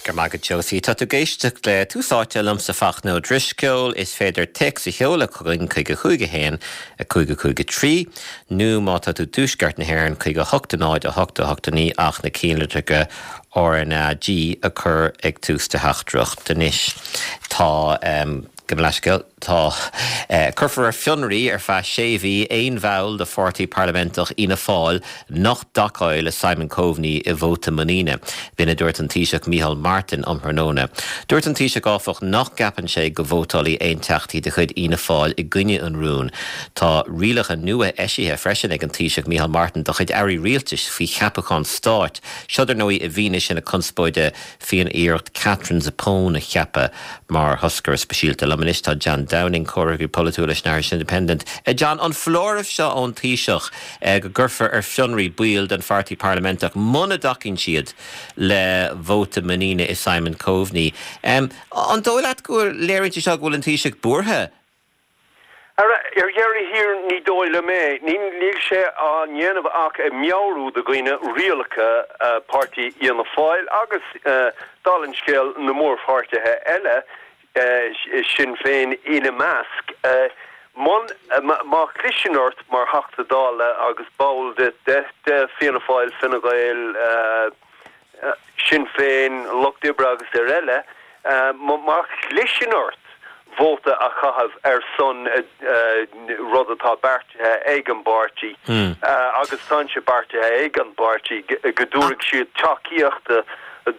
Go raibh maith agat Josie. Tá tú ag éisteacht le Tús Áite liomsa Fachtna Ó Drisceoil. Is féidir téacs a sheoladh chugainn chuig 5 1 5 5 3 nó má tá tú i dtuaisceart na hÉireann chuig 8 0 8 8 9 ach na cinnlitreacha RnaG a chur ag tús do theachtaireacht anois. Tá. Gabh mo leithscéal. Tá. Cuirfear ar fionraí ar feadh sé mhí aon bhall de pháirtí parlaiminteach Fhianna Fáil nach dtacóidh le Simon Coveney i vóta muiníne. B'in a dúirt an Taoiseach Micheál Martin um thráthnóna. Dúirt an Taoiseach áfach nach gceapann sé go vótálfaidh aon teachtaí de chuid Fhianna Fáil i gcoinne an rúin. Tá rialacha nua eisithe freisin ag an Taoiseach Micheál Martin dá chuid airí rialtais faoi cheapacháin stáit. Seo dar ndóigh i bhfianaise na conspóide faoin iarracht Katherine Zappone a cheapadh mar thoscaire speisialta. Liom anois tá John Downing, comhfhreagraí polaitiúil leis an Irish Independent. John, an foláireamh seo ón Taoiseach go gcuirfear ar fionraí baill den pháirtí parlaiminteach muna dtacaíonn siad le vóta muiníne i Simon Coveney, an dóigh leat go léiríonn sé seo go bhfuil an Taoiseach buartha? Ar dheireadh thiar, ní dóigh liom é. Níl sé á ndéanamh ach ag meabhrú do dhaoine rialacha páirtí Fhianna Fáil agus, dála an scéil, na mórpháirtithe eile, Sinn Féin ina measc. Má chliseann ort mar Theachta Dála agus ball de Fianna Fáil, Fine Gael, Sinn Féin, Lucht Oibre agus ar eile, má chliseann ort vóta a chaitheamh ar son rud atá beartaithe ag an bpáirtí, agus tá sé beartaithe ag an bpáirtí go dtabharfaidh siad tacaíocht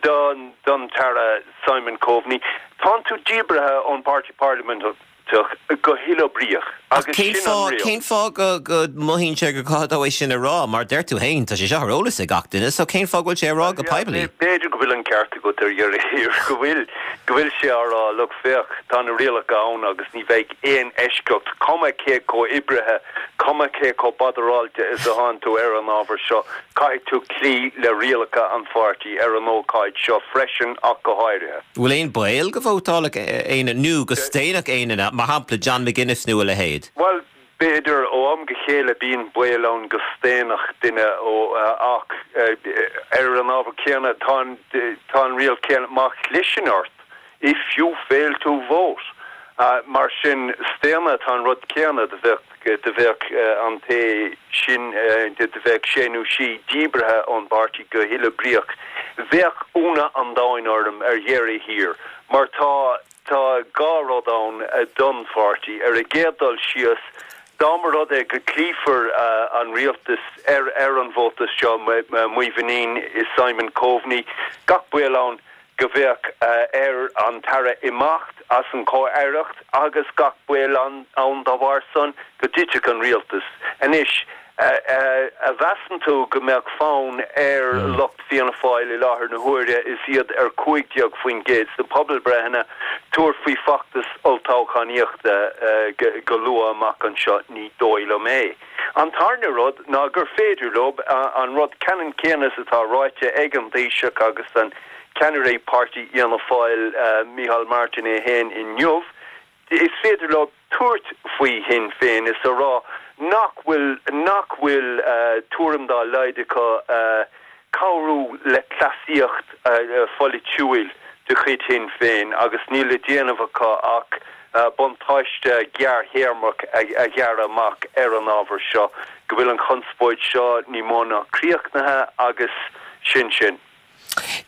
don tAire Simon Coveney, tánn tú díbrithe ón bpáirtí parlaiminteach. go huathoibríoch Ach agus cén sin an fáth, riail. cén fáth go, go mothaíonn sé gur gá dó é sin a rá? Mar deir tú féin, tá sé seo ar eolas ag gach duine, so cén fáth go bhfuil sé á rá go poiblí? B'fhéidir go bhfuil an ceart agat ar dheireadh thiar, go bhfuil, go bhfuil sé á rá, look, féach, tá na rialacha ann agus ní bheidh aon eisceacht, cuma cé chomh oibrithe, cuma cé chomh badaráilte is atánn tú ar an ábhar seo, caithfidh tú cloí le rialacha an pháirtí ar an ócáid seo freisin ach go háirithe. Bhfuil aon baol go vótálfadh éinne, nó go staonfadh éinne, mar shampla John McGuinness nó a leithéid? Bhuel, b'fhéidir, ó am go chéile bíonn baol ann go staonfadh duine ó, ach ar an ábhar céanna, tá an, tá an riail céanna, má chliseann ort, if you fail to vote. Mar sin, staonadh, tá an rud céanna, do bheadh, do bheadh an té sin, do bheadh sé nó sí díbrithe ón bpáirtí go huathoibríoch. Bheadh ionadh an domhain orm ar dheireadh thiar, mar tá, tá dhá rud ann don pháirtí. Ar an gcéad dul síos, dá mba rud é go gcloífear an rialtas ar, ar an vóta seo, muinín i Simon Coveney, gach baol ann go mbeadh ar an tAire imeacht as an chomh-aireacht agus gach baol ann dá bharr san go dtitfeadh an rialtas. Anois, a mheasann tú go mbeadh fonn ar lucht Fianna Fáil i láthair na huaire is iad ar 15% sna pobalbreitheanna tabhairt faoi feachtas olltoghchánaíochta go luath amach anseo? Ní dóigh liom é. An tarna rud ná gur féidir leo an rud ceannann céanna is atá ráite ag an Taoiseach agus an ceannaire páirtí Fhianna Fáil, Micheál Martin é féin inniu, is féidir leo tabhairt faoi Shinn Féin is a rá nach bhfuil nach bhfuil tuairim dá laghad acu cabhrú le cleasaíocht pholaitiúil de chuid Shinn Féin agus níl le déanamh acu ach buntáiste gearrthéarmach a ghearradh amach ar an ábhar seo, go bhfuil an chonspóid seo ní mó ná críochnaithe agus sin sin.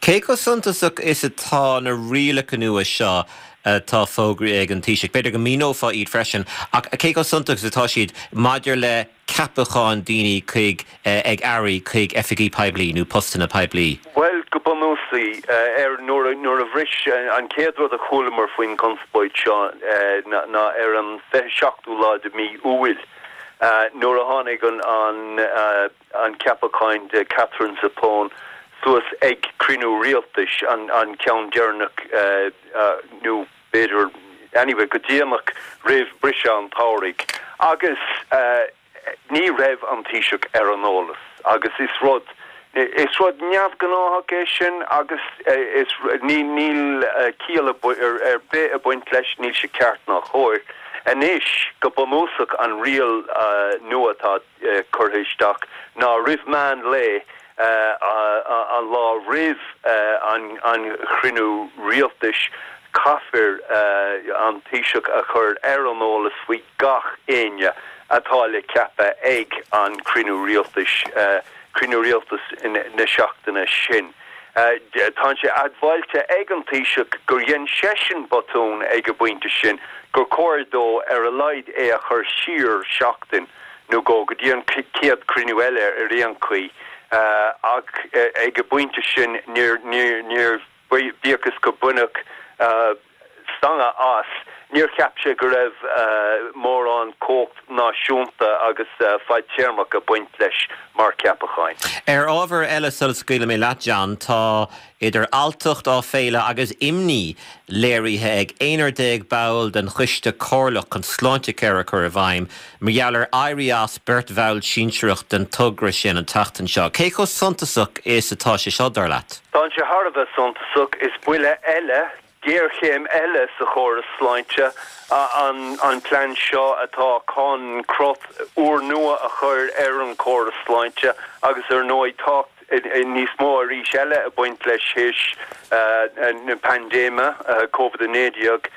Cé chomh suntasach is atá na rialacha nua seo atá fógraithe ag an Taoiseach? B'fhéidir go míneofá iad freisin, ach cé chomh suntasach is atá siad maidir le ceapacháin daoine chuig, ag airí chuig oifigí poiblí nó postanna poiblí? Bhuel, go bunúsach, ar, nuair a, nuair a bhris, an chéad rud a chualamar faoin gconspóid seo ná ar an 27ú lá de mhí Iúil, nuair a tháinig an, an, an ceapacháin de Katherine Zappone suas ag cruinniú rialtais, an, an ceann deireanach nó b'fhéidir, anyway, go déanach roimh briseadh an tsamhraidh agus ní raibh an Taoiseach ar an eolas agus is rud, is rud neamhghnáthach é sin agus is, ní, níl ciall ar bith ag baint leis, níl sé ceart ná cóir. Anois, go bunúsach an riail nua atá curtha isteach ná roimh meán lae. An lá roimh an chruinniú rialtais, caithfear an Taoiseach a chur ar an eolas faoi gach éinne atá le ceapadh ag an chruinniú rialtais, cruinniú rialtais na seachtaine sin. Tá sé admháilte ag an Taoiseach gur dhein seisean botún ag an bpointe sin, gur chóir dó ar a laghad é a chur siar seachtain nó dhó, go dtí an chéad chruinniú eile ar aon chaoi. Ach ag an bpointe sin níor, bíodh is gur baineadh stangadh as, níor cheap sé go raibh mórán cumhacht náisiúnta agus fadtéarmach ag baint leis mar cheapacháin. Ar ábhar eile sula scaoilfidh mé leat, John, tá idir alltacht, áiféala agus imní léirithe ag 11 ball den Choiste Comhairleach chun Sláintecare a chur i bhfeidhm mar gheall ar éirí as beirt bhall sinsearach den togra sin an tseachtain seo. Cé chomh suntasach is atá sé seo, dar leat? Tá sé thar a bheith suntasach. Is buille eile, géarchéim eile sa chóras sláinte an plean seo atá chun crot úrnua a chur ar an chóras sláinte agus ar ndóigh tá níos mó arís eile ag baint leis théis na paindéime Covid-19.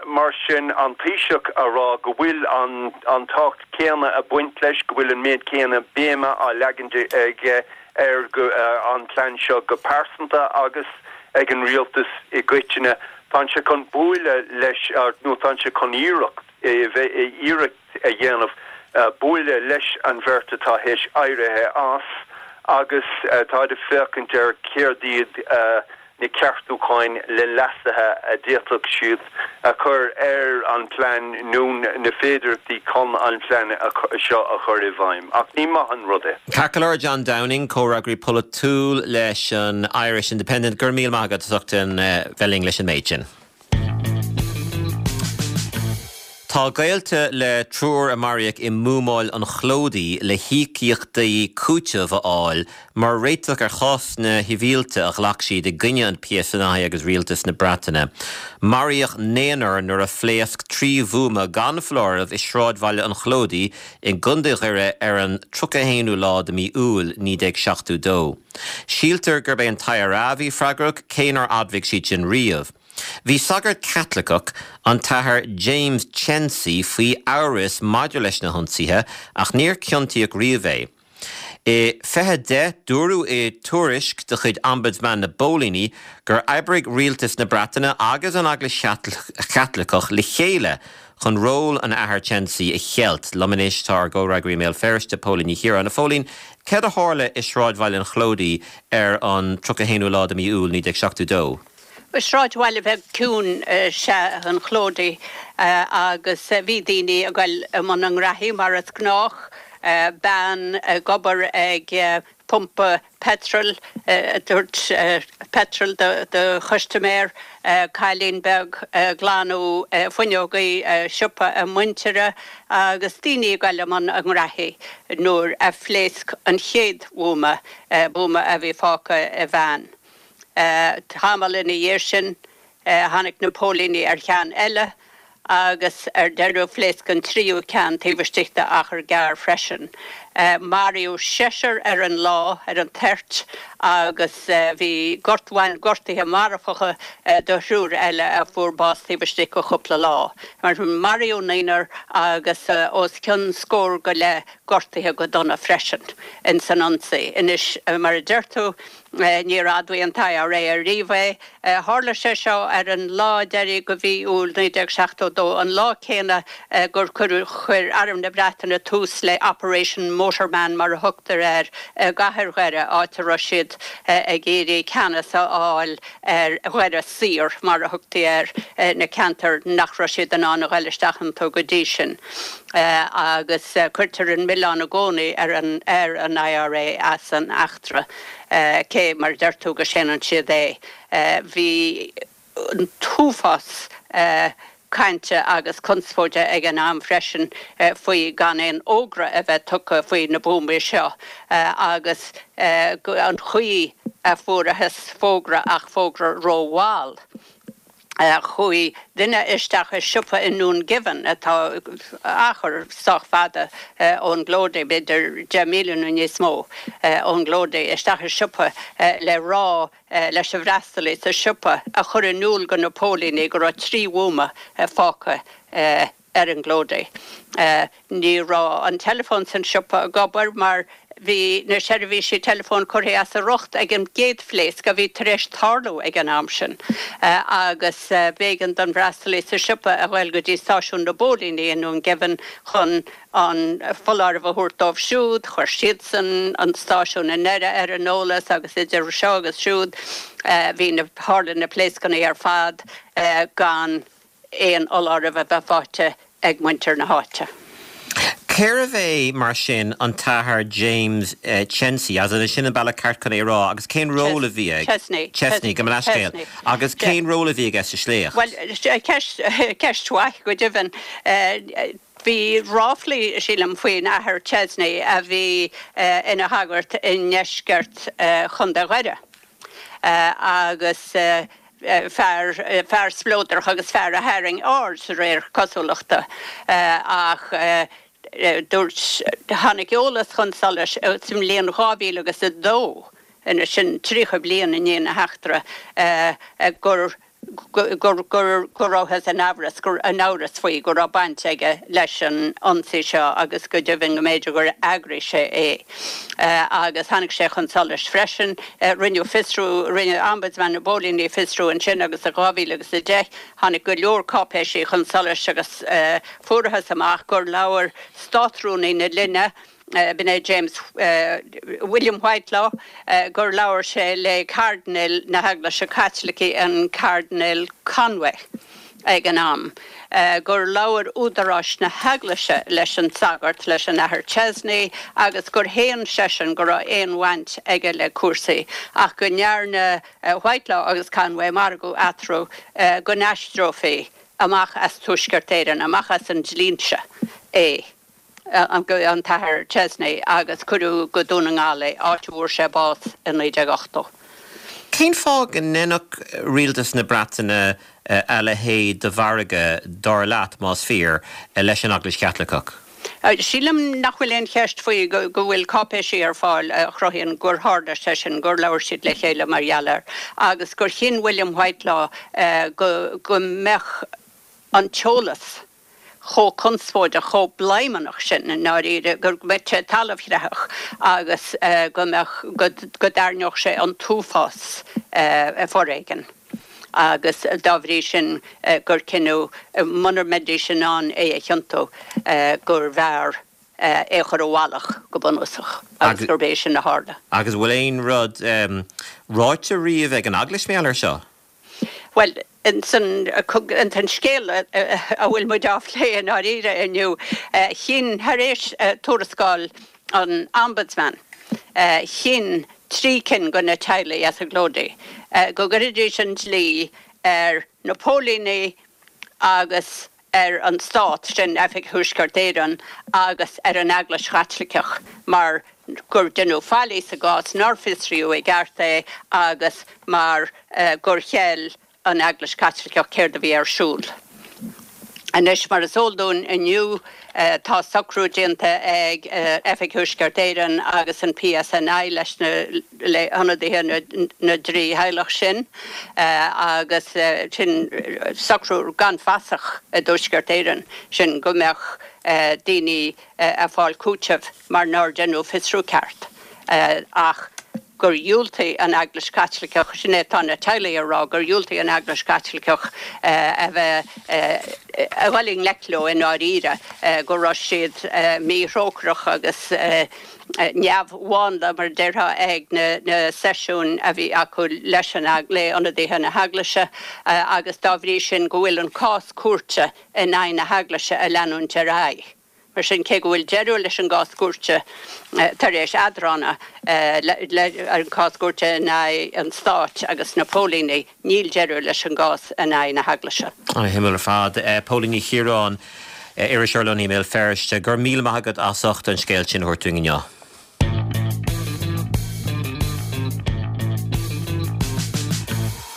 Mar sin, an Taoiseach a rá go bhfuil an tábhacht céanna ag baint leis, go bhfuil an méid céanna béime á leagan aige ar an plean seo go pearsanta agus ag an rialtas i gcoitinne. Tá sé chun buaileadh leis, nó tá sé chun iarracht, iarracht a dhéanamh buaileadh leis an bheirt atá théis éirithe as agus táid ag féachaint ar céard iad na ceartúcháin le leasuithe a d'fhéadfadh siad a chur ar an bplean nó na féidearthachtaí chun an plean seo a chur i bhfeidhm. Ach ní maith an rud é. Ceart go leor, John Downing, comhfhreagraí polaitiúil leis an Irish Independent, go raibh míle maith agat as ucht a bheith linn leis an méid sin. Tá gaolta le triúr a maraíodh i mbuamáil an Chlóidí le híocaíochtaí cúitimh a fháil mar réiteach ar chásanna sibhialta a ghlac siad i gcoinne an PSNI agus Rialtas na Breataine. Maraíodh naonúr nuair a phléasc 3 bhuama gan foláireamh i sráidbhaile an Chlóidí i gContae Dhoire ar an 31ú lá de mhí Iúil 1972. Síltear gurb é an t-IRA a bhí freagrach, cé nár admhaigh siad sin riamh. Bhí sagart Caitliceach, an tAthair James Cheney, faoi amhras maidir leis na hionsaithe ach níor ciontaíodh riamh é. I 2010, dúradh i tuairisc de chuid Ombudsman na bPóilíní gur oibrigh rialtas na Breataine agus an Eaglais Chaitliceach le chéile chun ról an Athar Cheney a cheilt. Liom anois tá ár gcomhfhreagraí i mBéal Feirste, Póilín Ní Chiaráin. A Phóilín, céard a tharla i sráidbhaile an Chlóidí ar an 31ú lá de mhí Iúil 1972? Sráidbhaile bheag ciúin is ea an Chlóidí agus bhí daoine ag goil i mbun a ngraithí mar is gnách, bean ag obair ag pumpa peitril, ag tabhairt peitril do chustaiméir, cailín beag ag glanadh fuinneogaí siopa a muintire agus daoine ag goil i mbun a ngraithí nuair a phléasc an chéad bhuama, buama a bhí fágtha i veain. Tamall ina dhiaidh sin tháinig na póilíní ar cheann eile agus ar deireadh phléasc an tríú ceann taobh istigh d'achar gearr freisin. Maraíodh seisear ar an lá, ar an toirt, agus bhí gort, bhain gortuithe marfacha do thriúr eile a fuair bás taobh istigh de chúpla lá. Mar sin maraíodh naonúr agus os cionn scór go leith gortaithe go dona freisin ins an ionsaí. Anois, mar a deir tú, Níor admhaigh an t-IRA ariamh é. Tharla sé seo ar an lá deiridh de mhí Iúil 1972, an lá céanna gur chuir Arm na Breataine tús le Operation Motorman, mar a thugtar air, i gcathair Dhoire, áit a raibh siad ag iarraidh ceannas a fháil ar Dhoire Saor, mar a thugtaí air, na ceantair nach raibh siad in ann a ghoil isteach iontu go dtí sin. Agus cuirtear an milleán i gcónaí ar an IRA as an eachtra. Cé, mar a deir tú, go séanann siad é. Bhí an t-uafás cainte agus conspóide ag an am freisin faoi gan aon fhógra a bheith tugtha faoi na buamaí seo agus an chaoi a fuarathas fógra ach fógra rómhall. Chuaigh duine isteach i siopa i nDún Geimhin, atá achar sách fada ón gClóidí, b'fhéidir 10 míle nó níos mó ón gClóidí, isteach i siopa le rá leis an bhfreastalaí sa siopa a chur in iúl do na póilíní go raibh 3 bhuama fágtha ar an gClóidí. Ní raibh an teileafón san siopa ag obair mar bhí na seirbhísí teileafóin curtha as a riocht ag an gcéad phléasc a bhí tar éis tarlú ag an am sin agus b'éigean don bhfreastalaí sa siopa a ghoil go dtí stáisiún na bpóilíní i nDún Geimhin chun an foláireamh a thabhairt dóibh siúd. Chuir siadsan an stáisiún i nDoire ar an eolas agus idir seo agus siúd bhí na, tharla na pléascanna ar fad gan aon fholáireamh a bheith faighte ag muintir na háite. Cérbh é, mar sin, an tAthair James Chensey, as in sin an bealach ceart chun é a rá, agus cén ról a bhí ag. Chesney. Chesney, gabh mo leithscéal. Agus cén ról a bhí aige sa sléacht? Bhuel, ceist, ceist mhaith, go deimhin. Bhí ráflaí, sílim, faoin Athair Chesney a bhí ina shagart i ndeisceart Chontae Dhoire agus fear, fear spleodrach agus fear a tharraing aird de réir cosúlachta ach dúirt, tháinig eolas chun solais sa mbliain 2000 agus 2, anois sin 30 bliain i ndiaidh na heachtra, gur gur go rabhthas in amhras, gur in amhras faoi go raibh baint aige leis an ionsaí seo agus go deimhin go mb'fhéidir gur eagraigh sé é. Agus tháinig sé chun solais freisin, rinneadh fiosrú, rinne Ombudsman na bPóilíní fiosrú ansin agus i 2010 tháinig go leor cáipéisí chun solais agus fuarathas amach gur labhair Státrúnaí na linne, b'in é James William Whitelaw, gur labhair sé le Cairdinéal na hEaglaise Caitlicí, an Cairdinéal Conway ag an am, gur labhair údaráis na hEaglaise leis an sagart, leis an Athair Chesney, agus gur shéan seisean go raibh aon bhaint aige le cúrsaí, ach go ndearna Whitelaw agus Conway margadh eatarthu go n-aistreofaí amach as Tuaisceart Éireann, amach as an dlínse é. an tAthair Chesney agus cuireadh go Dún na nGall é, áit a bhfuair sé bás i 1980. Cén fáth go ndéanfadh rialtas na Breataine a leithéid de mhargadh, dar leat, más fíor, leis an Eaglais Chaitliceach? Sílim nach bhfuil aon cheist faoi go bhfuil cáipéisí ar fáil a chruthaíonn gur tharla sé sin, gur labhair siad le chéile mar gheall air agus gur chinn William Whitelaw go mbeadh an t-eolas chomh conspóideach, chomh bladhmannach sin i ndáiríre, go mbeadh sé talamhchreathach agus go mbeadh, go dtairneodh sé an t-uafás foréigin agus dá bhrí sin gur cinneadh, mura mbeidís in ann é a chiontú, gurbh fhearr é a chur i bhfalach go bunúsach agus gurb é sin a tharla. Agus an bhfuil aon rud ráite riamh ag an Eaglais mar gheall air seo? Bhuel, ins an scéal a bhfuil muid á phlé i ndáiríre inniu, chinn, thar éis tuarascáil an Ombudsman, chinn 3 cinn de na teaghlaigh as an gClóidí go gcuirfidís an dlí ar na póilíní agus ar an Stát, sin Oifig Thuaisceart Éireann, agus ar an Eaglais Chaitliceach mar gur deineadh faillí sa gcás, nár fiosraíodh i gceart é agus mar gur cheil an Eaglais Chaitliceach céard a bhí ar siúl. Anois, mar is eol dúinn inniu, tá socrú déanta ag Oifig Thuaisceart Éireann agus an PSNI leis na le hionadaithe na dtrí theaghlach sin agus sin socrú gan fasach i dTuaisceart Éireann, sin go mbeadh daoine ag fáil cúiteamh mar nár deineadh fiosrú ceart ach gur dhiúltaigh an Eaglais Chaitliceach, sin é atá na teaghlaigh a rá, gur dhiúltaigh an Eaglais Chaitliceach a bheith a dhul i ngleic leo i ndáiríre, go raibh siad míthrócaireach agus. neamh-mhánla, mar a déarfá, ag na seisiúin a bhí acu leis an, le ionadaithe na hEaglaise agus dá bhrí sin go bhfuil an cás cúirte in aghaidh na hEaglaise ag leanúint ar aghaidh. Mar sin, cé go bhfuil deireadh leis an gcás cúirte tar éis eadrána, an cás cúirte in aghaidh an Stáit agus na póilíní, Níl deireadh leis an gcás in aghaidh na hEaglaise. An-shuimiúil ar fad. Póilín Ní Chiaráin, iriseoir lonnaithe i mBéal Feirste, go raibh míle maith agat as ucht an scéal sin a thabhairt dúinn inniu.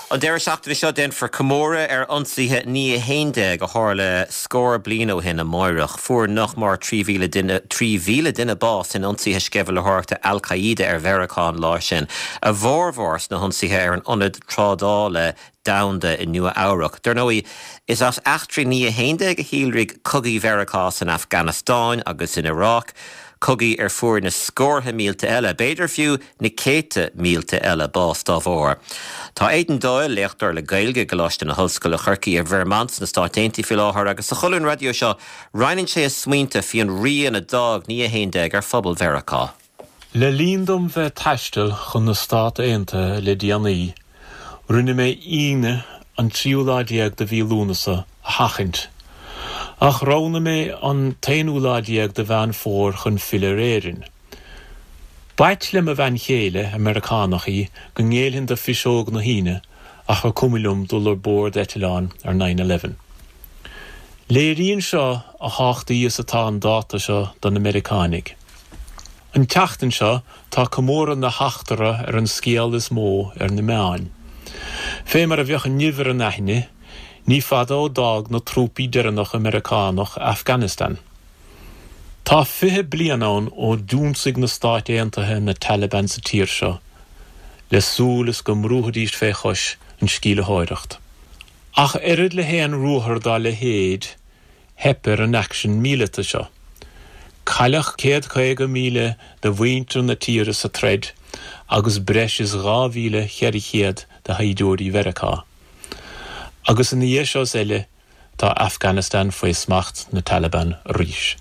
An deireadh seachtaine seo déanfar comóradh ar ionsaithe naoi a 11 a tharla scór bliain ó shin amáireach. Fuair nach mór 3,000 duine 3,000 duine bás in ionsaithe sceimhlitheoireachta Al Qaeda ar Mheiriceá an lá sin, a bhformhór sna hionsaithe ar an Ionad Trádála Domhanda i Nua Eabhrac. Dar ndóigh, is as eachtraí naoi a 11 a shíolraigh cogaí Mheiriceá san Afganastáin agus in Iaráic, cogaí ar fuair na scórtha mílte eile, b'fhéidir fiú na céadta mílte eile, bás dá bharr. Tá Aidan Doyle, léachtóir le Gaeilge i gColáiste na hOllscoile Chorcaí i Vermont sna Stáit Aontaithe faoi láthair agus sa cholún raidió seo roinneann sé a smaointe faoi an rian a d'fhág naoi a 11 ar phobal Mheiriceá. Le linn dom bheith ag taisteal chun na Stát Aontaithe le déanaí, rinne mé Aoine an tríú lá déag de mhí Lúnasa a sheachaint, ach roghnaigh mé an t-aonú lá déag de Mheán Fómhair chun filleadh ar Éirinn. B'ait le mo bhean chéile, ar Meiriceánach í, go ngéillfinn do phiseog na hAoine ach gur cuma liom dul ar bord eitleáin ar nine eleven. Léiríonn seo a thábhachtaí is atá an dáta seo do na Meiriceánaigh. An tseachtain seo tá comóradh na heachtra ar an scéal is mó ar na meáin. Fé mar a bheadh an nimh ar an aithne, ní fada ó d'fhág na trúpaí deireanacha Meiriceánach Afghanistan. Tá 20 bliain ann ó d'ionsaigh na Stáit Aontaithe na Taliban sa tír seo le súil is go mbrúfaidís fé chois an sceimhlitheoireacht. Ach oiread le haon ruathar dá leithéid, theip ar an aicsean míleata seo. Cailleadh 150,000 de mhuintir na tíre sa troid agus breis is 2,400 de shaighdiúirí Mheiriceá. Agus ina dhiaidh seo is eile, Tá Afghanistan faoi smacht na Taliban arís.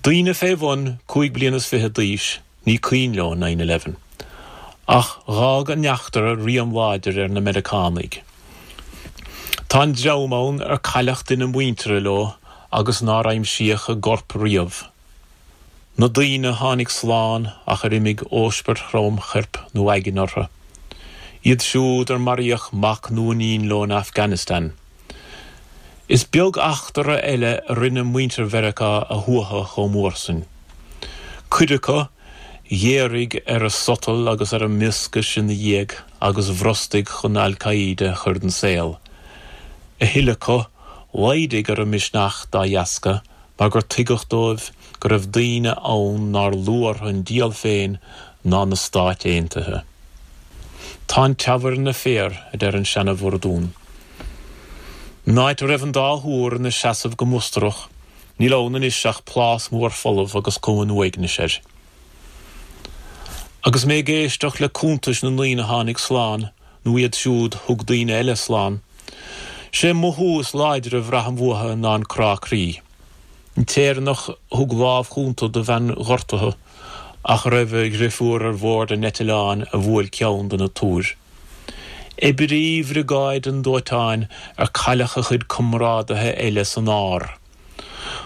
Daoine fé bhun 25 bliana d'aois, ní cuimhin leo nine eleven. Ach dh'fhág an eachtra rian láidir ar na Meiriceánaigh. Tá an dream ann ar cailleadh duine muinteartha leo agus nár aimsíodh a gcorp riamh. Na daoine a tháinig slán ach ar imigh óispert throm choirp nó aigne orthu. Iad siúd ar maraíodh mac nó iníon leo in Afghanistan. Is beag eachtra eile a rinne muintir Mheiriceá a shuaitheadh chomh mór sin. Cuid acu, ghéaraigh ar a sotal agus ar a mioscais ina dhiaidh agus bhrostaigh chun Al Qaeda a chur den saol. A thuilleadh acu, laghdaigh ar a misneach dá dheasca mar gur tuigeadh dóibh go raibh daoine ann nár lú orthu an diabhal féin ná na Stáit Aontaithe. Tá an teamhair ina féar, a deir an seana-bhurdún. An áit a raibh an dá thúr ina seasamh go mustarach, níl ann anois ach plás mór folamh agus cuma an uaignis air. Agus mé ag éisteacht le cuntais na ndaoine a tháinig slán, nó iad siúd thug daoine eile slán. Sé mothú is láidre a bhraithim uathu ná an crá croí. An tÉireannach a thug lámh chúnta do bhean ghortaithe ach a raibh a dhrifiúr ar bhord an eitleáin a bhuail ceann de na túir. Oibrí bhriogáid an dóiteáin ar cailleadh a chuid comrádaithe eile san ár.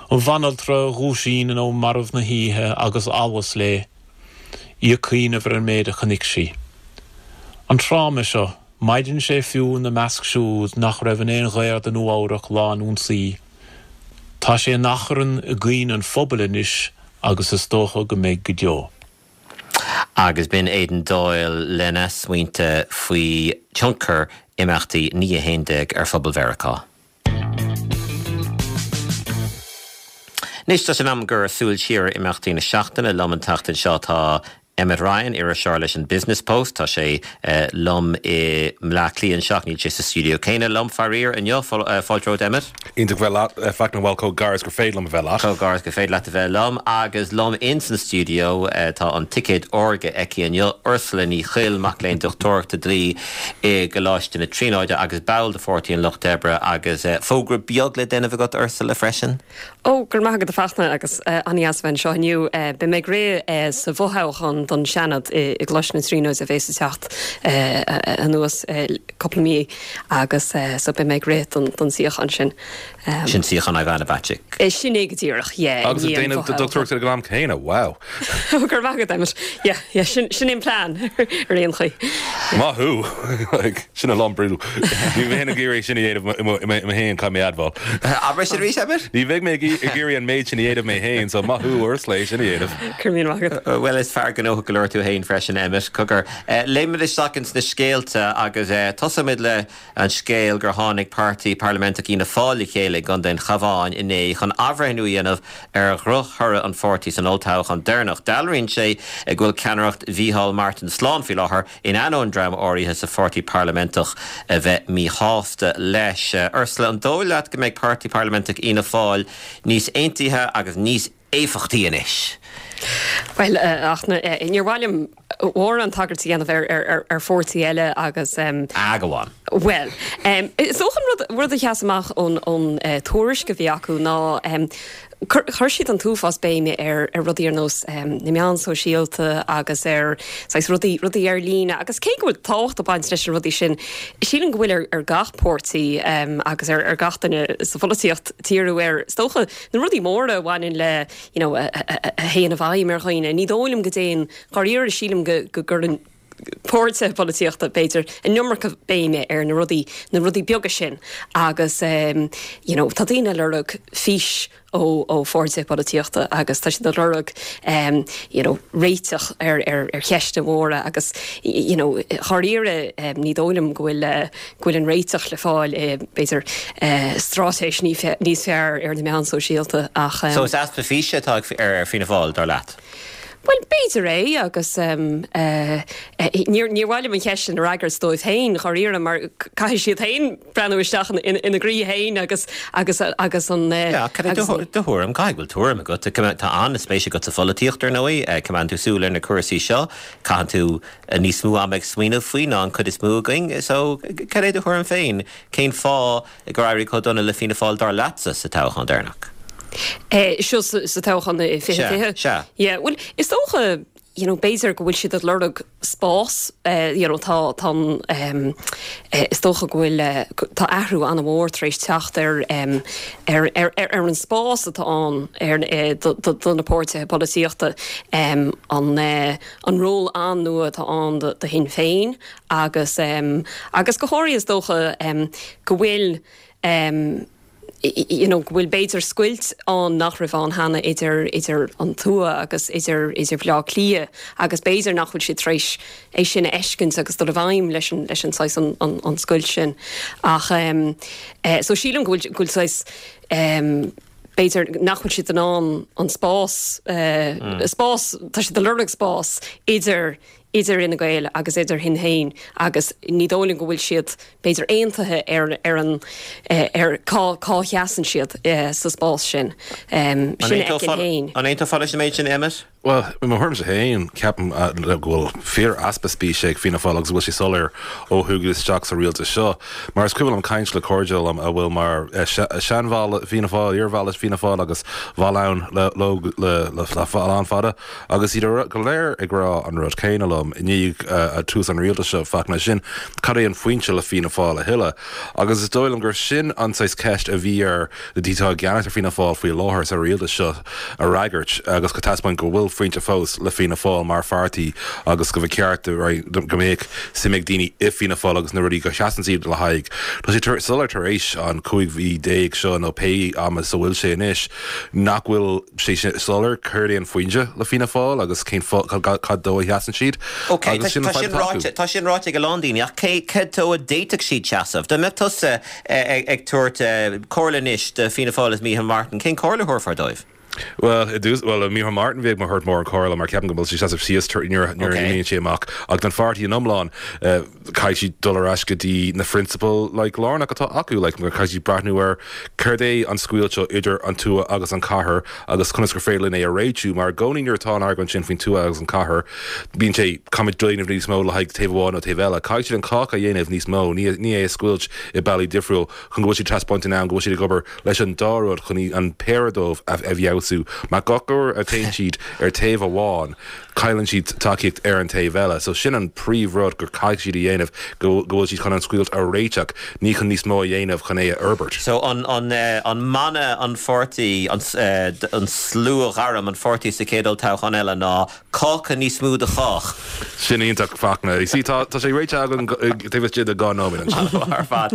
An bhanaltra a dhúisíonn in am marbh na hoíche agus allas léi, í ag cuimhneamh ar an méid a chonaic sí. An tráma seo, maireann sé fiú ina measc siúd nach raibh in aon ghaor do Nua Eabhrac lá an ionsaí. Tá sé in achrann i gcuimhne an phobail anois agus is dócha go mbeidh go deo. Agus b'in Aidan Doyle lena smaointe faoi thionchar imeachtaí 9/11 ar phobal Mheiriceá. Anois tá sé in am gur súil siar ar imeachtaí na seachtaine. Liom an tseachtain seo tá Emmet Ryan, iriseoir leis an Business Post. Tá sé liom i mBleá Cliath anseo ach níl sé sa stiúideo céanna liom, faraor, inniu. Fáilte romhat, Emmet. Iontach bheith leat, a Fachtna, bhuel, chomh gar is gur féidir liom a bheith leat. Chomh gar is gur féidir leat a bheith liom. Agus liom ins an stiúideo tá an ticéad órga aici inniu, Ursula Ní Chuill, mac léinn dochtúireachta dlí i gColáiste na Tríonóide agus ball de Pháirtí an Lucht Oibre agus fógra beag le déanamh agat Ursula freisin. Ó, go raibh maith agat a Fachtna agus an-dheas a bheith anseo inniu. Beidh mé ag rith sa bhfothoghchán don Seanad i gColáiste na Tríonóide a bhéas ag teacht anuas cúpla mí agus so beidh mé ag rith don suíochán sin. Sin suíochán Ivana Bacik. Sin é go díreach, yeah. Agus ag déanamh do dochtúireacht ag an am céanna, wow! Go raibh maith agat, Emmet. Yeah, yeah, sin, sin é an plean ar aon chaoi. Maith thú! Like, sin a lán brú. Ní bheinn ag iarraidh sin a dhéanamh mé féin, caithfidh mé a admháil. Abair sin arís, Emmet? Ní bheidh mé ag iarraidh an méid sin a dhéanamh mé féin, so maith thú Ursula é sin a dhéanamh. Go raibh míle maith agat. Bhuel, is fear gnóthach. gnóthach go leor tú féin freisin, Emmet. Cogar, léimfimid isteach ins na scéalta agus tosóimid le an scéal gur tháinig Páirtí Parlaiminteach Fhianna Fáil le chéile i gContae an Chabháin inné chun athbhreithniú a dhéanamh ar dhrochthoradh an pháirtí san olltoghchán deireanach. Dealraíonn sé go bhfuil ceannaireacht Mhícheál Martin slán faoi láthair, in ainneoin dream áirithe sa pháirtí parlaiminteach a bheith míshásta leis. Ursula, an dóigh leat go mbeidh Páirtí Parlaiminteach Fhianna Fáil níos aontaithe agus níos éifeachtaí anois? Bhuel, ach níor mhaith liom mórán tagairt a dhéanamh ar pháirtí eile agus. Ah, go on. Bhuel, is dócha an rud a sheas amach ón tuairisc a bhí acu ná chuir siad an t-uafás béime ar rudaí ar nós na meán sóisialta agus ar saghas rudaí, rudaí ar líne agus cé go bhfuil tábhacht ag baint leis na rudaí sin, sílim go bhfuil ar gach páirtí agus ar gach duine sa pholaitíocht díriú ar, is dócha, na rudaí móra a bhaineann le, you know, a théann i bhfeidhm ar dhaoine. Ní dóigh liom go dtéann, dháiríre, sílim go gcuireann páirtithe polaitíochta, b'fhéidir, an iomarca béime ar na rudaí, na rudaí beaga sin agus you know tá daoine ag lorg fís ó ó pháirtithe polaitíochta agus tá siad ag lorg you know réiteach ar ar ar cheisteanna móra agus you know dháiríre ní dóigh liom go bhfuil go bhfuil an réiteach le fáil i b'fhéidir straitéis níos fearr ar na meáin sóisialta ach. So is easpa físe atá ar Fianna Fáil, dar leat? Bhuel, b'fhéidir é agus níor mhaith liom an cheist sin a fhreagairt dóibh féin, dháiríre, mar caithfidh siad féin breathnú isteach ina gcroí féin agus agus agus an. Yeah, cad é do thuairim? Caithfidh go bhfuil tuairim agat. Tá an-spéis agat sa pholaitíocht, ar ndóigh. Coimeádann tú súil ar na cúrsaí seo. Caitheann tú níos mó ama ag smaoineamh faoi ná an chuid is mó againn. So, cad é do thuairim féin? Cén fáth gur éirigh chomh dona le Fianna Fáil dar leatsa sa toghchán deireanach? Seo sa toghchán i 2020? Sea. Yeah, bhuel, is dócha, you know, b'fhéidir go bhfuil siad ag lorg spás, you know, tá, tá an, is dócha go bhfuil, tá athrú an-mhór tar éis teacht ar, ar, ar, ar an spás atá ann ar, do, do, do na páirtithe polaitíochta, an, an ról an-nua atá ann do, do Shinn Féin agus agus go háirithe is dócha go bhfuil you know go bhfuil b'fhéidir scoilt ann nach raibh ann cheana idir idir an tuath agus idir idir Bhaile Átha Cliath agus b'fhéidir nach bhfuil siad tar éis é sin a fheiscint agus dul i bhfeidhm leis an leis an saghas an an an scoilt sin ach so sílim go bhfuil go bhfuil saghas b'fhéidir nach bhfuil siad in ann an spás spás tá siad ag lorg spás idir idir Fhine Gael agus idir Shinn Féin agus ní dóigh liom go bhfuil siad, b'fhéidir, aontaithe ar ar an ar cá cá sheasann siad sa spás sin. Sin a fheicim féin. An aontófá leis an méid sin, Emmet? Bhuel, i mo thuairimse féin, ceapaim go bhfuil fíor-easpa físe ag Fianna Fáil agus go bhfuil sé soiléir ó thugadh isteach sa rialtas seo. Mar is cuimhin liom caint le cairde liom a bhfuil mar seanbhall Fianna Fáil, iarbhall Fianna Fáil agus bhall ann leo le lán fada Agus iad go léir ag rá an rud céanna liom i ndiaidh tús an rialtais seo, Fachtna, sin cad é an foinse le Fianna Fáil a thuilleadh? Agus is dóigh liom gur sin an saghas ceist a bhí ar na daoine atá i gceannas ar Fianna Fáil faoi láthair sa rialtas seo a fhreagairt agus go taispeáint go bhfuil foinse fós le Fianna Fáil mar pháirtí agus go mba cheart go mbeadh suim ag daoine i Fianna Fáil agus na rudaí go seasann siad le haghaidh. Tá sé soiléir tar éis an 15 mhí seo nó pé am is a bhfuil sé anois nach bhfuil sé soiléir céard é an foinse le Fianna Fáil agus cén fáth, cad dó a sheasann siad Ok, tá sin ráite, tá sin ráite ag a lán daoine ach cé, cad dó a d'fhéadfadh siad seasamh? Dá mbeadh tusa ag tabhairt comhairle anois do Fianna Fáil is Micheál Martin, cén comhairle a thabharfá dóibh? Bhuel, i dtús, bhuel, Micheál Martin bheadh mé ag tabhairt mórán comhairle mar ceapaim go bhfuil sé seasamh síos nuair a imíonn sé amach ach don pháirtí in iomlán, caithfidh siad dul ar ais go dtí na phrionsabail like lárnach atá acu like caithfidh siad breathnú ar céard é an scoilt seo idir an tuath agus an cathair agus conas gur féidir linn é a réitiú mar i gcónaí nuair atá an argóint sin faoin tuath agus an cathair bíonn sé caithfimid déanamh níos mó le haghaidh taobh amháin nó taobh eile caithfidh siad an cáca a dhéanamh níos mó ní ní é a scoilt i bealaí difriúil chun go bhfuil siad taispeáint in ann go bhfuil siad ag obair leis an dá rud chun an péire dóibh a fheabhsú mar gach uair a théann siad ar taobh amháin cailleann siad tacaíocht ar an taobh eile. So sin an príomh rud gur caithfidh siad a dhéanamh, go bhfuil siad chun an scoilt a réiteach, ní chun níos mó a dhéanamh chun é a fhorbairt. So an an an mana an pháirtí, an an sluaghairm an pháirtí sa chéad olltoghchán eile ná cáca níos mó do chách. Sin iontach, Fachtna. You see, tá tá sé réitithe againn taobh istigh de 2 nóiméad ansin. Ar fad.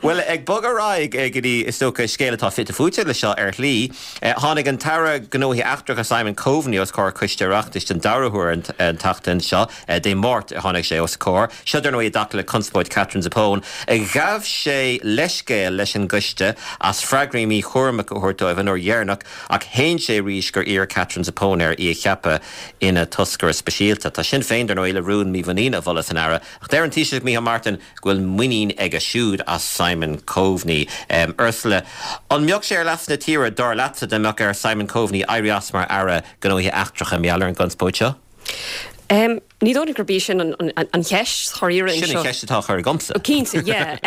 Bhuel, ag bogadh ar aghaidh go dtí, is dócha, scéal atá fite fuaite leis seo ar shlí. Tháinig an tAire Gnóthaí Eachtracha Simon Coveney os comhair Coiste Oireachtais den dara huair an tseachtain seo. Dé Máirt a tháinig sé os a comhair. Seo, dar ndóigh, i dtaca le conspóid Katherine Zappone. Ghabh sé leithscéal leis an gcoiste as freagraí míchúramach a thabhairt dóibh an uair dheireanach ach shéan sé arís gur iarr Katherine Zappone air í a cheapadh ina toscaire speisialta. Tá Sinn Féin, dar ndóigh, le rún mímhuiníne a mholadh san Aire, ach deir an Taoiseach Micheál Martin go bhfuil muinín aige siúd as Simon Coveney. Ursula, an mbeadh sé ar leas na tíre, dar leatsa, dá mbeadh ar Simon Coveney éirí as mar Aire Gnóthaí Eachtracha mar gheall ar an gconspóid seo? Ní dóigh liom gurb í sin an cheist, dháiríre anseo. Sin an cheist atá á chur agamsa. Cinnte, yeah.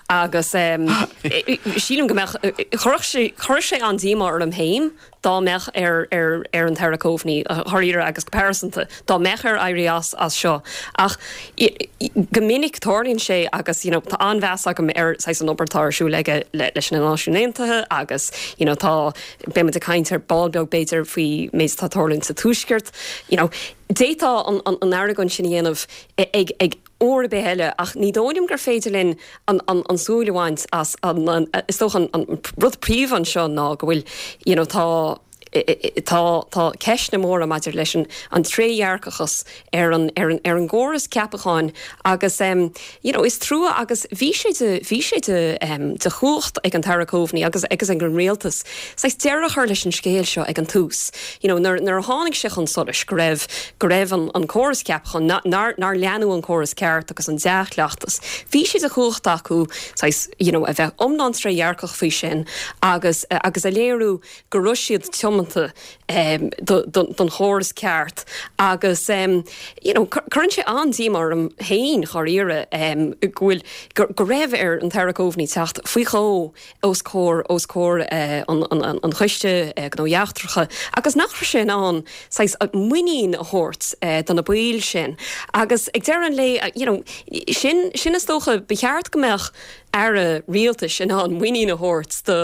Agus sílim go mbeadh, chuirfeadh sé, chuirfeadh sé an-díomá orm féin dá mbeadh ar ar an tAire Coveney, dháiríre agus go pearsanta, dá mbeadh air éirí as as seo. Ach go minic tarlaíonn sé agus you know tá an-mheas agam ar saghas an obair atá ar siúl aige leis na Náisiúin Aontaithe agus you know tá, beidh muid ag caint ar ball beag b'fhéidir faoi méid atá ag tarlúint sa Tuaisceart. You know, d'fhéadfá an, an, an argóint sin a dhéanamh ag, ag uair ar bith eile ach ní dóigh liom gur féidir linn an, an, an súil a bhaint as an, an, is dócha an, an rud príomha anseo ná go bhfuil, you know, tá, tá, tá ceisteanna móra maidir leis an, an trédhearcachas ar an, ar an, ar an gcóras ceapacháin agus em you know is trua agus bhí sé de, bhí sé de em de chumhacht ag an tAire Coveney agus agus ag an rialtas saghas deireadh a chur leis an scéal seo ag an tús. You know nuair, nuair a tháinig sé chun solais go raibh, go raibh an, an córas ceapacháin, ná, nár, nár leanadh an córas ceart agus an dea-chleachtas, bhí sé de chumhacht acu saghas you know a bheith iomlán trédhearcach faoi sin agus, agus a léiriú go raibh siad tiomanta don chóras ceart agus you know cuireann sé an-díomá orm féin dháiríre go bhfuil go raibh ar an tAire Coveney teacht faoi dhó os comhair os comhair an Choiste Gnóthaí Eachtracha agus nach raibh sé in ann saghas muinín a thabhairt do na baill sin agus ag deireadh an lae you know sin sin is dócha ba cheart go mbeadh aire rialtais in ann muinín a thabhairt do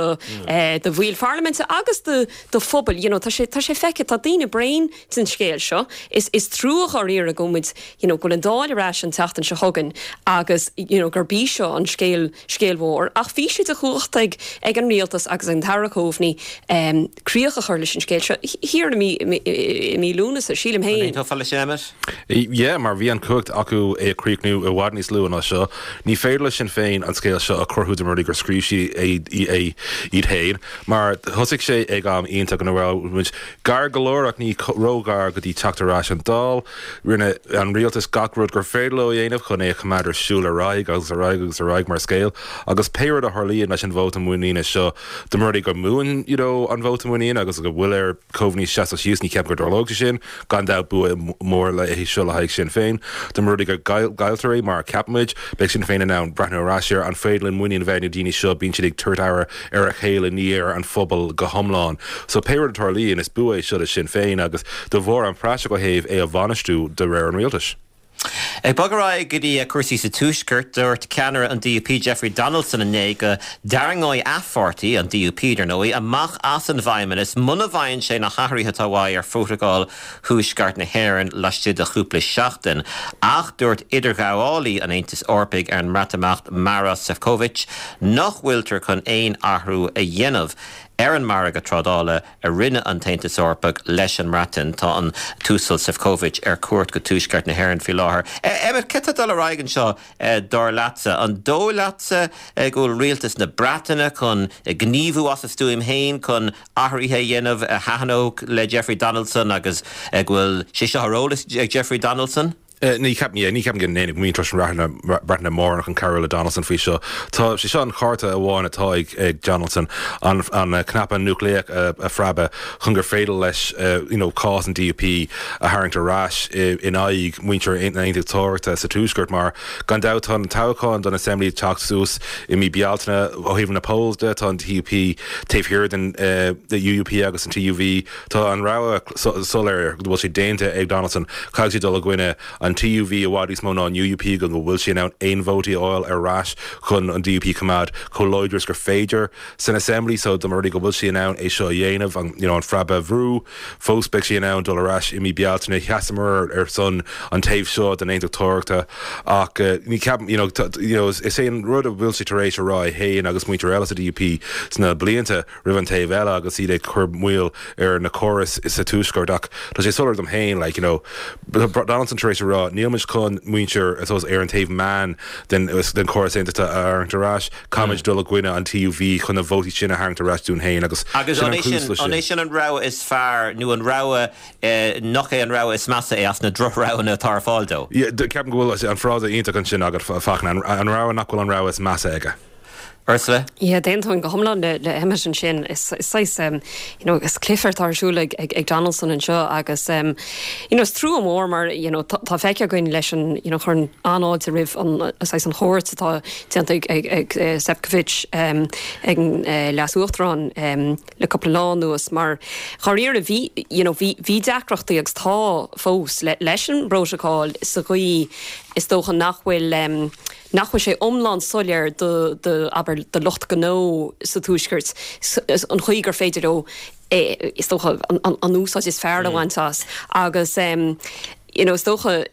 do bhaill pharlaiminte agus do do phobail. You know, tá sé tá sé feicthe, tá daoine bréan den scéal seo. Is is trua dháiríre go bhfuil muid, you know, go bhfuil an Dáil ar ais an tseachtain seo chugainn agus, you know, gurb í seo an scéal scéal mhór. Ach bhí sé de chumhacht ag ag an rialtas agus ag an tAire Coveney um críoch a chur leis an scéal seo thiar i mí i mí Lúnasa, sílim féin. An aontófá leis sin, Emmet? Yeah, mar bhí an chumhacht acu é a chríochnú i bhfad níos luaithe ná seo. Ní féidir le Sinn Féin an scéal seo a chruthú dá mba rud é gur scríobh siad é iad féin, mar thosaigh sé ag am iontach ina raibh muid gar go leor ach ní ró-ghar go dtí teacht ar ais an Dáil. Rinne an rialtas gach rud gur féidir leo a dhéanamh chun é a choimeád ar siúl ar aghaidh agus ar aghaidh agus ar aghaidh mar scéal agus pé rud a tharlaíonn leis an vóta muiníne seo, dá mba rud é go mbuann you know an vóta muiníne agus go bhfuil ar Coveney seasamh síos, ní ceapaim go dtarlóidh sé sin. Gan dabht, bua mór é seo le haghaidh Sinn Féin. Dá mba rud é go gcailltear é, mar a ceapaimid, beidh Sinn Féin in ann breathnú ar ais ar an féidir linn muinín a bheith na daoine seo, bíonn siad ag tabhairt aire ar a chéile, ní ar an phobal go hiomlán. So pé rud a tarlaíonn, is bua é seo do Sinn Féin agus de bharr an praiseach ó thaobh é a bhainistiú de réir an rialtais. Ag bogadh ar aghaidh go dtí cúrsaí sa Tuaisceart, dúirt ceannaire an DUP Jeffrey Donaldson inné go dtarraingeoidh a pháirtí, an DUP dar ndóigh, amach as an bhFeidhmeannas muna bhfaigheann sé na hathruithe atá uaidh ar Phrótacal Thuaisceart na hÉireann laistigh de chúpla seachtain. Ach dúirt idirghabhálaí an Aontais Eorpaigh ar an mBreatimeacht Maros Sefcovic nach bhfuiltear chun aon athrú a dhéanamh ar an margadh trádála a rinne an tAontas Eorpach leis an mBreatain. Tá an tUasal Sefcovic ar cuairt go Tuaisceart na hÉireann faoi láthair. Emmet, céard atá ag dul ar aghaidh anseo, dar leatsa? An dóigh leatsa go bhfuil rialtas na Breataine chun gníomhú as a stuaim féin chun athruithe a dhéanamh a thaitneodh le Jeffrey Donaldson agus go bhfuil sé seo ar eolas ag Jeffrey Donaldson? Ní cheapaim, yeah, ní ceapaim go ndéanfaidh muintir na Breataine mórán chun cabhrú le Donaldson faoi seo. Tá sé seo an cárta amháin atá ag ag Donaldson, an an cnaipe núicléach a a phreabadh chun gur féidir leis you know cás an DUP a tharraingt ar ais in aghaidh muintir na hAontachtóireachta sa Tuaisceart mar gan dabht tá an toghchán don Assembly ag teacht suas i mí Bealtaine. Ó thaobh na polls de tá an DUP taobh thiar den UUP agus an TUV. Tá an rogha soiléir go bhfuil sé déanta ag Donaldson, caithfidh sé dul i gcoinne an. an TUV i bhfad níos mó ná an UUP go bhfuil sé in ann aon vótaí a fháil ar ais chun an DUP a choimeád chomh láidir is gur féidir san Assembly so dá mba rud é go bhfuil sé in ann é seo a dhéanamh, an you know an phreab a bhrú, fós beidh sé in ann dul ar ais i mí Bealtaine. Sheasamar ar son an taobh seo den aontachtóireachta ach ní ceapaim you know you know is é an rud a bhfuil sé tar éis a rá é féin agus muintir eile sa DUP sna blianta roimh an taobh eile agus iad ag cur moill ar na córais sa Tuaisceart ach tá sé soiléir dom féin like you know Donaldson tar éis a rá níl muid chun muintir I suppose ar an taobh meán den den chóras aontachta a tharraingt ar ais caithfimid dul i gcoinne an TUV chun na vótaí sin a tharraingt ar ais dúinn féin agus Agus sin an an é cúis sin leis an sin. é sin an rogha is fearr nó an rogha nach é an rogha is measa é as na drochroghanna atá ar fáil dó? Yeah, ceapaim go bhfuil an frása iontach ansin agat, Fachtna, an rogha nach bhfuil an rogha is measa aige. Ursula? Yeah, d'aontóinn go hiomlán le le Emmet ansin. Is saghas you know is cluiche atá ar siúl ag ag Donaldson anseo agus you know is trua mór mar you know tá tá feicthe againn leis an you know chuirfinn an-fháilte roimh an saghas an chuairt atá déanta ag ag ag Sefcovic ag an Leas-Uachtarán le cúpla lá anuas mar dháiríre bhí you know bhí bhí deacrachtaí agus tá fós le leis an bprótocol sa gcaoi is dócha nach bhfuil nach bhfuil sé iomlán soiléir do, do, abair, do lucht gnó sa Tuaisceart an chaoi gur féidir leo is dócha, an úsáid is fearr a bhaint as agus you know is dócha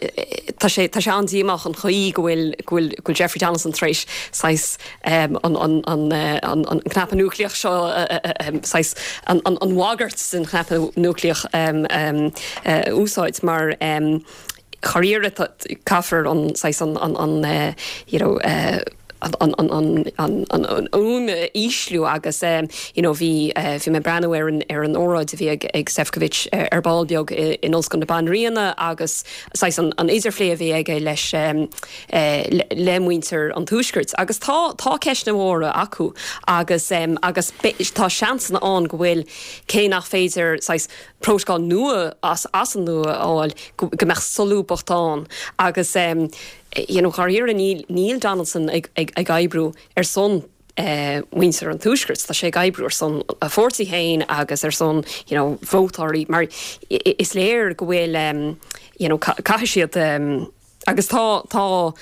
tá sé, tá sé an-díomách an chaoi go bhfuil, go bhfuil, go bhfuil Jeffrey Donaldson tar éis saghas an, an, an, an, an cnaipe núicléach seo saghas an, an, an bhagairt den chnaipe núicléach a úsáid mar dháiríre caithfear an saghas an an you know an an an an an an fhuaim a ísliú agus you know bhí bhí mé ag breathnú ar an ar an óráid a bhí ag ag Sefcovic ar ball beag in Ollscoil na Banríona agus saghas an an idirphlé a bhí aige leis le muintir an Tuaiscirt agus tá tá ceisteanna móra acu agus agus tá seansanna ann go bhfuil cé nach féidir saghas prótocol nua as as an nua a fháil, go mbeadh solúbthacht ann agus you know dháiríre níl níl Donaldson ag ag ag oibriú ar son mhuintir an Tuaiscirt, tá sé ag oibriú ar son a pháirtí féin agus ar son you know vótóirí mar is léir go bhfuil you know caithfidh siad Agus tá, tá,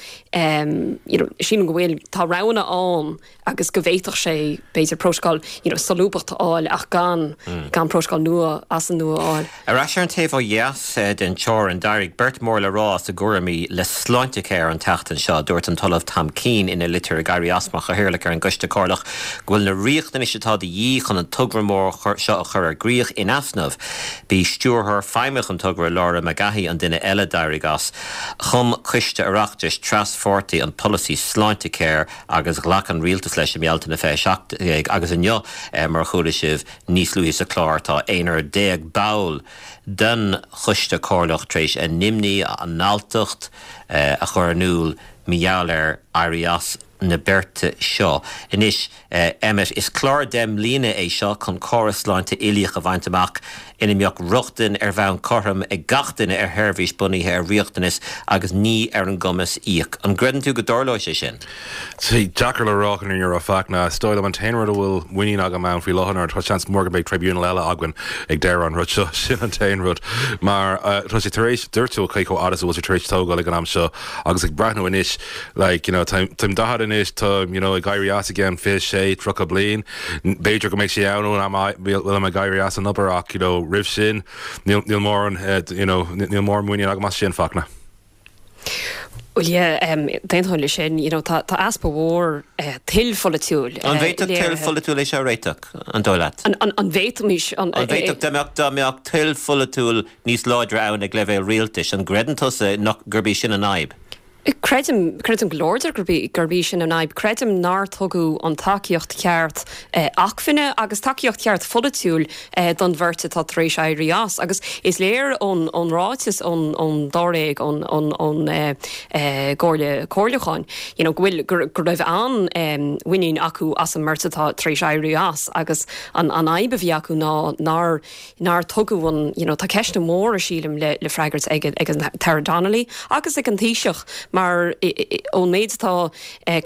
you know, sílim go bhfuil, tá roghanna ann agus go bhféadfadh sé, b'fhéidir, prótacal, you know, solúbthacht a fháil ach gan, gan prótacal nua as an nua a fháil. Ar ais ar an taobh ó dheas den teorainn, d'éirigh beirt mór le rá as a gcúraimí le Sláintecare an tseachtain seo. Dúirt an tOllamh Tom Keane ina litir ag éirí as mar chathaoirleach ar an gCoiste Comhairleach go bhfuil na riachtanais atá de dhíth chun an togra mór seo a chur ar gcrích in easnamh. B'í Stiúrthóir Feidhmeach an togra, Laura Magahy, an duine eile a d'éirigh as. Chum Coiste Oireachtais tras-pháirtí an polasaí Sláintecare agus ghlac an Rialtas leis i mBealtaine 2017 agus inniu, mar a chuala sibh níos luaithe sa chlár, tá aonrar ball den Choiste Comhairleach tar éis a n-imní, a n-alltacht a chur in iúl mar gheall ar éirí as na beirte seo. Anois, Emmet, is clár 10 mbliana é seo chun córas sláinte uilíoch a bhaint amach ina mbeadh rochtain ar bhonn cothrom ag gach duine ar sheirbhís bunaithe ar riachtanas agus ní ar an gcumas íoc. An gcreideann tú go dtarlóidh sé sin? Tá sé deacair le rá chun an fhírinne a rá, Fachtna. Is dóigh liom an t-aon rud a bhfuil muinín agam ann faoi láthair ná tá seans mór go mbeidh tribunal eile againn ag deireadh an rud seo. Sin an t-aon rud. Mar tá sé tar éis, dúirt tú cé chomh fada is a bhfuil sé tar éis tógáil ag an am seo agus ag breathnú anois, Like, you know, táim 40 anois, táim, you know, ag éirí as i gceann 26, 30 bliain. B'fhéidir go mbeidh sé ann ón am a bhfuilim ag éirí as an obair ach, you know, roimh sin, níl, níl mórán, you know, níl mórán muinín agam as sin, Fachtna. Bhuel, yeah, d'aontóinn leis sin, you know, tá, tá easpa mhór toil pholaitiúil An bhféadfadh toil pholaitiúil é seo a réiteach, an dóigh leat? An, an, an bhféadfaimis, an, An bhféadfadh, dá mbeadh, dá mbeadh toil pholaitiúil níos láidre ann ag leibhéal rialtais, an gcreideann tusa nach, gurb í sin an fhadhb? Creidim, creidim go láidir gurb í, gurb í sin an fhadhb. Creidim nár tugadh an tacaíocht cheart acmhainne agus tacaíocht cheart pholaitiúil don bheirt atá tar éis éirí as. Agus is léir ón, ón ráiteas ón, ón dáréag, ón, ón, ón gComhairle Comhairliúcháin, you know, go bhfuil, go, go raibh an-mhuinín acu as an mbeirt atá tar éis éirí as agus an, an fhadhb a bhí acu ná nár, nár tugadh an, you know, tá ceisteanna móra, sílim, le, le freagairt ag, ag an tAire Donnelly agus ag an Taoiseach mar ón méid atá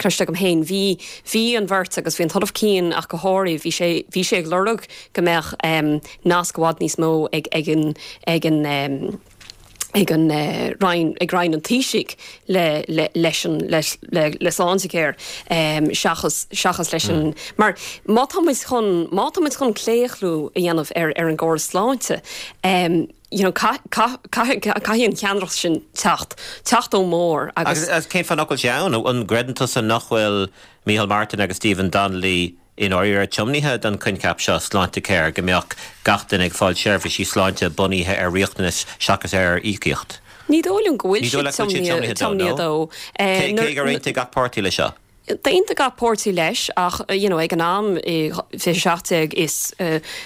cloiste agam féin, bhí, bhí an bheirt agus bhí an tOllamh Keane ach go háirithe, bhí sé, bhí sé ag lorg go mbeadh nasc i bhfad níos mó ag, ag an, ag an. Ag an Roinn, ag Roinn an Taoisigh le, le, leis an, le, le, le Sláintecare seachas, seachas leis an, mar má tá muid chun, má tá muid chun claochlú a dhéanamh ar, ar an gcóras sláinte, you know, caith, caith, caithfidh, caithfidh an cheannaireacht sin teacht, teacht ón mbarr agus. Agus cén fáth nach bhfuil sé ann? An gcreideann tusa nach bhfuil Micheál Martin agus Stephen Donnelly i ndáiríre tiomnaithe don choincheap seo, Sláintecare, go mbeadh gach duine ag fáil seirbhísí sláinte bunaithe ar riachtanas seachas ar íocaíocht? Ní dóigh liom go bhfuil siad tiomnaithe dó. Cé gur aontaigh gach páirtí leis seo? D'aontaigh gach páirtí leis ach you know ag an am i 2017 is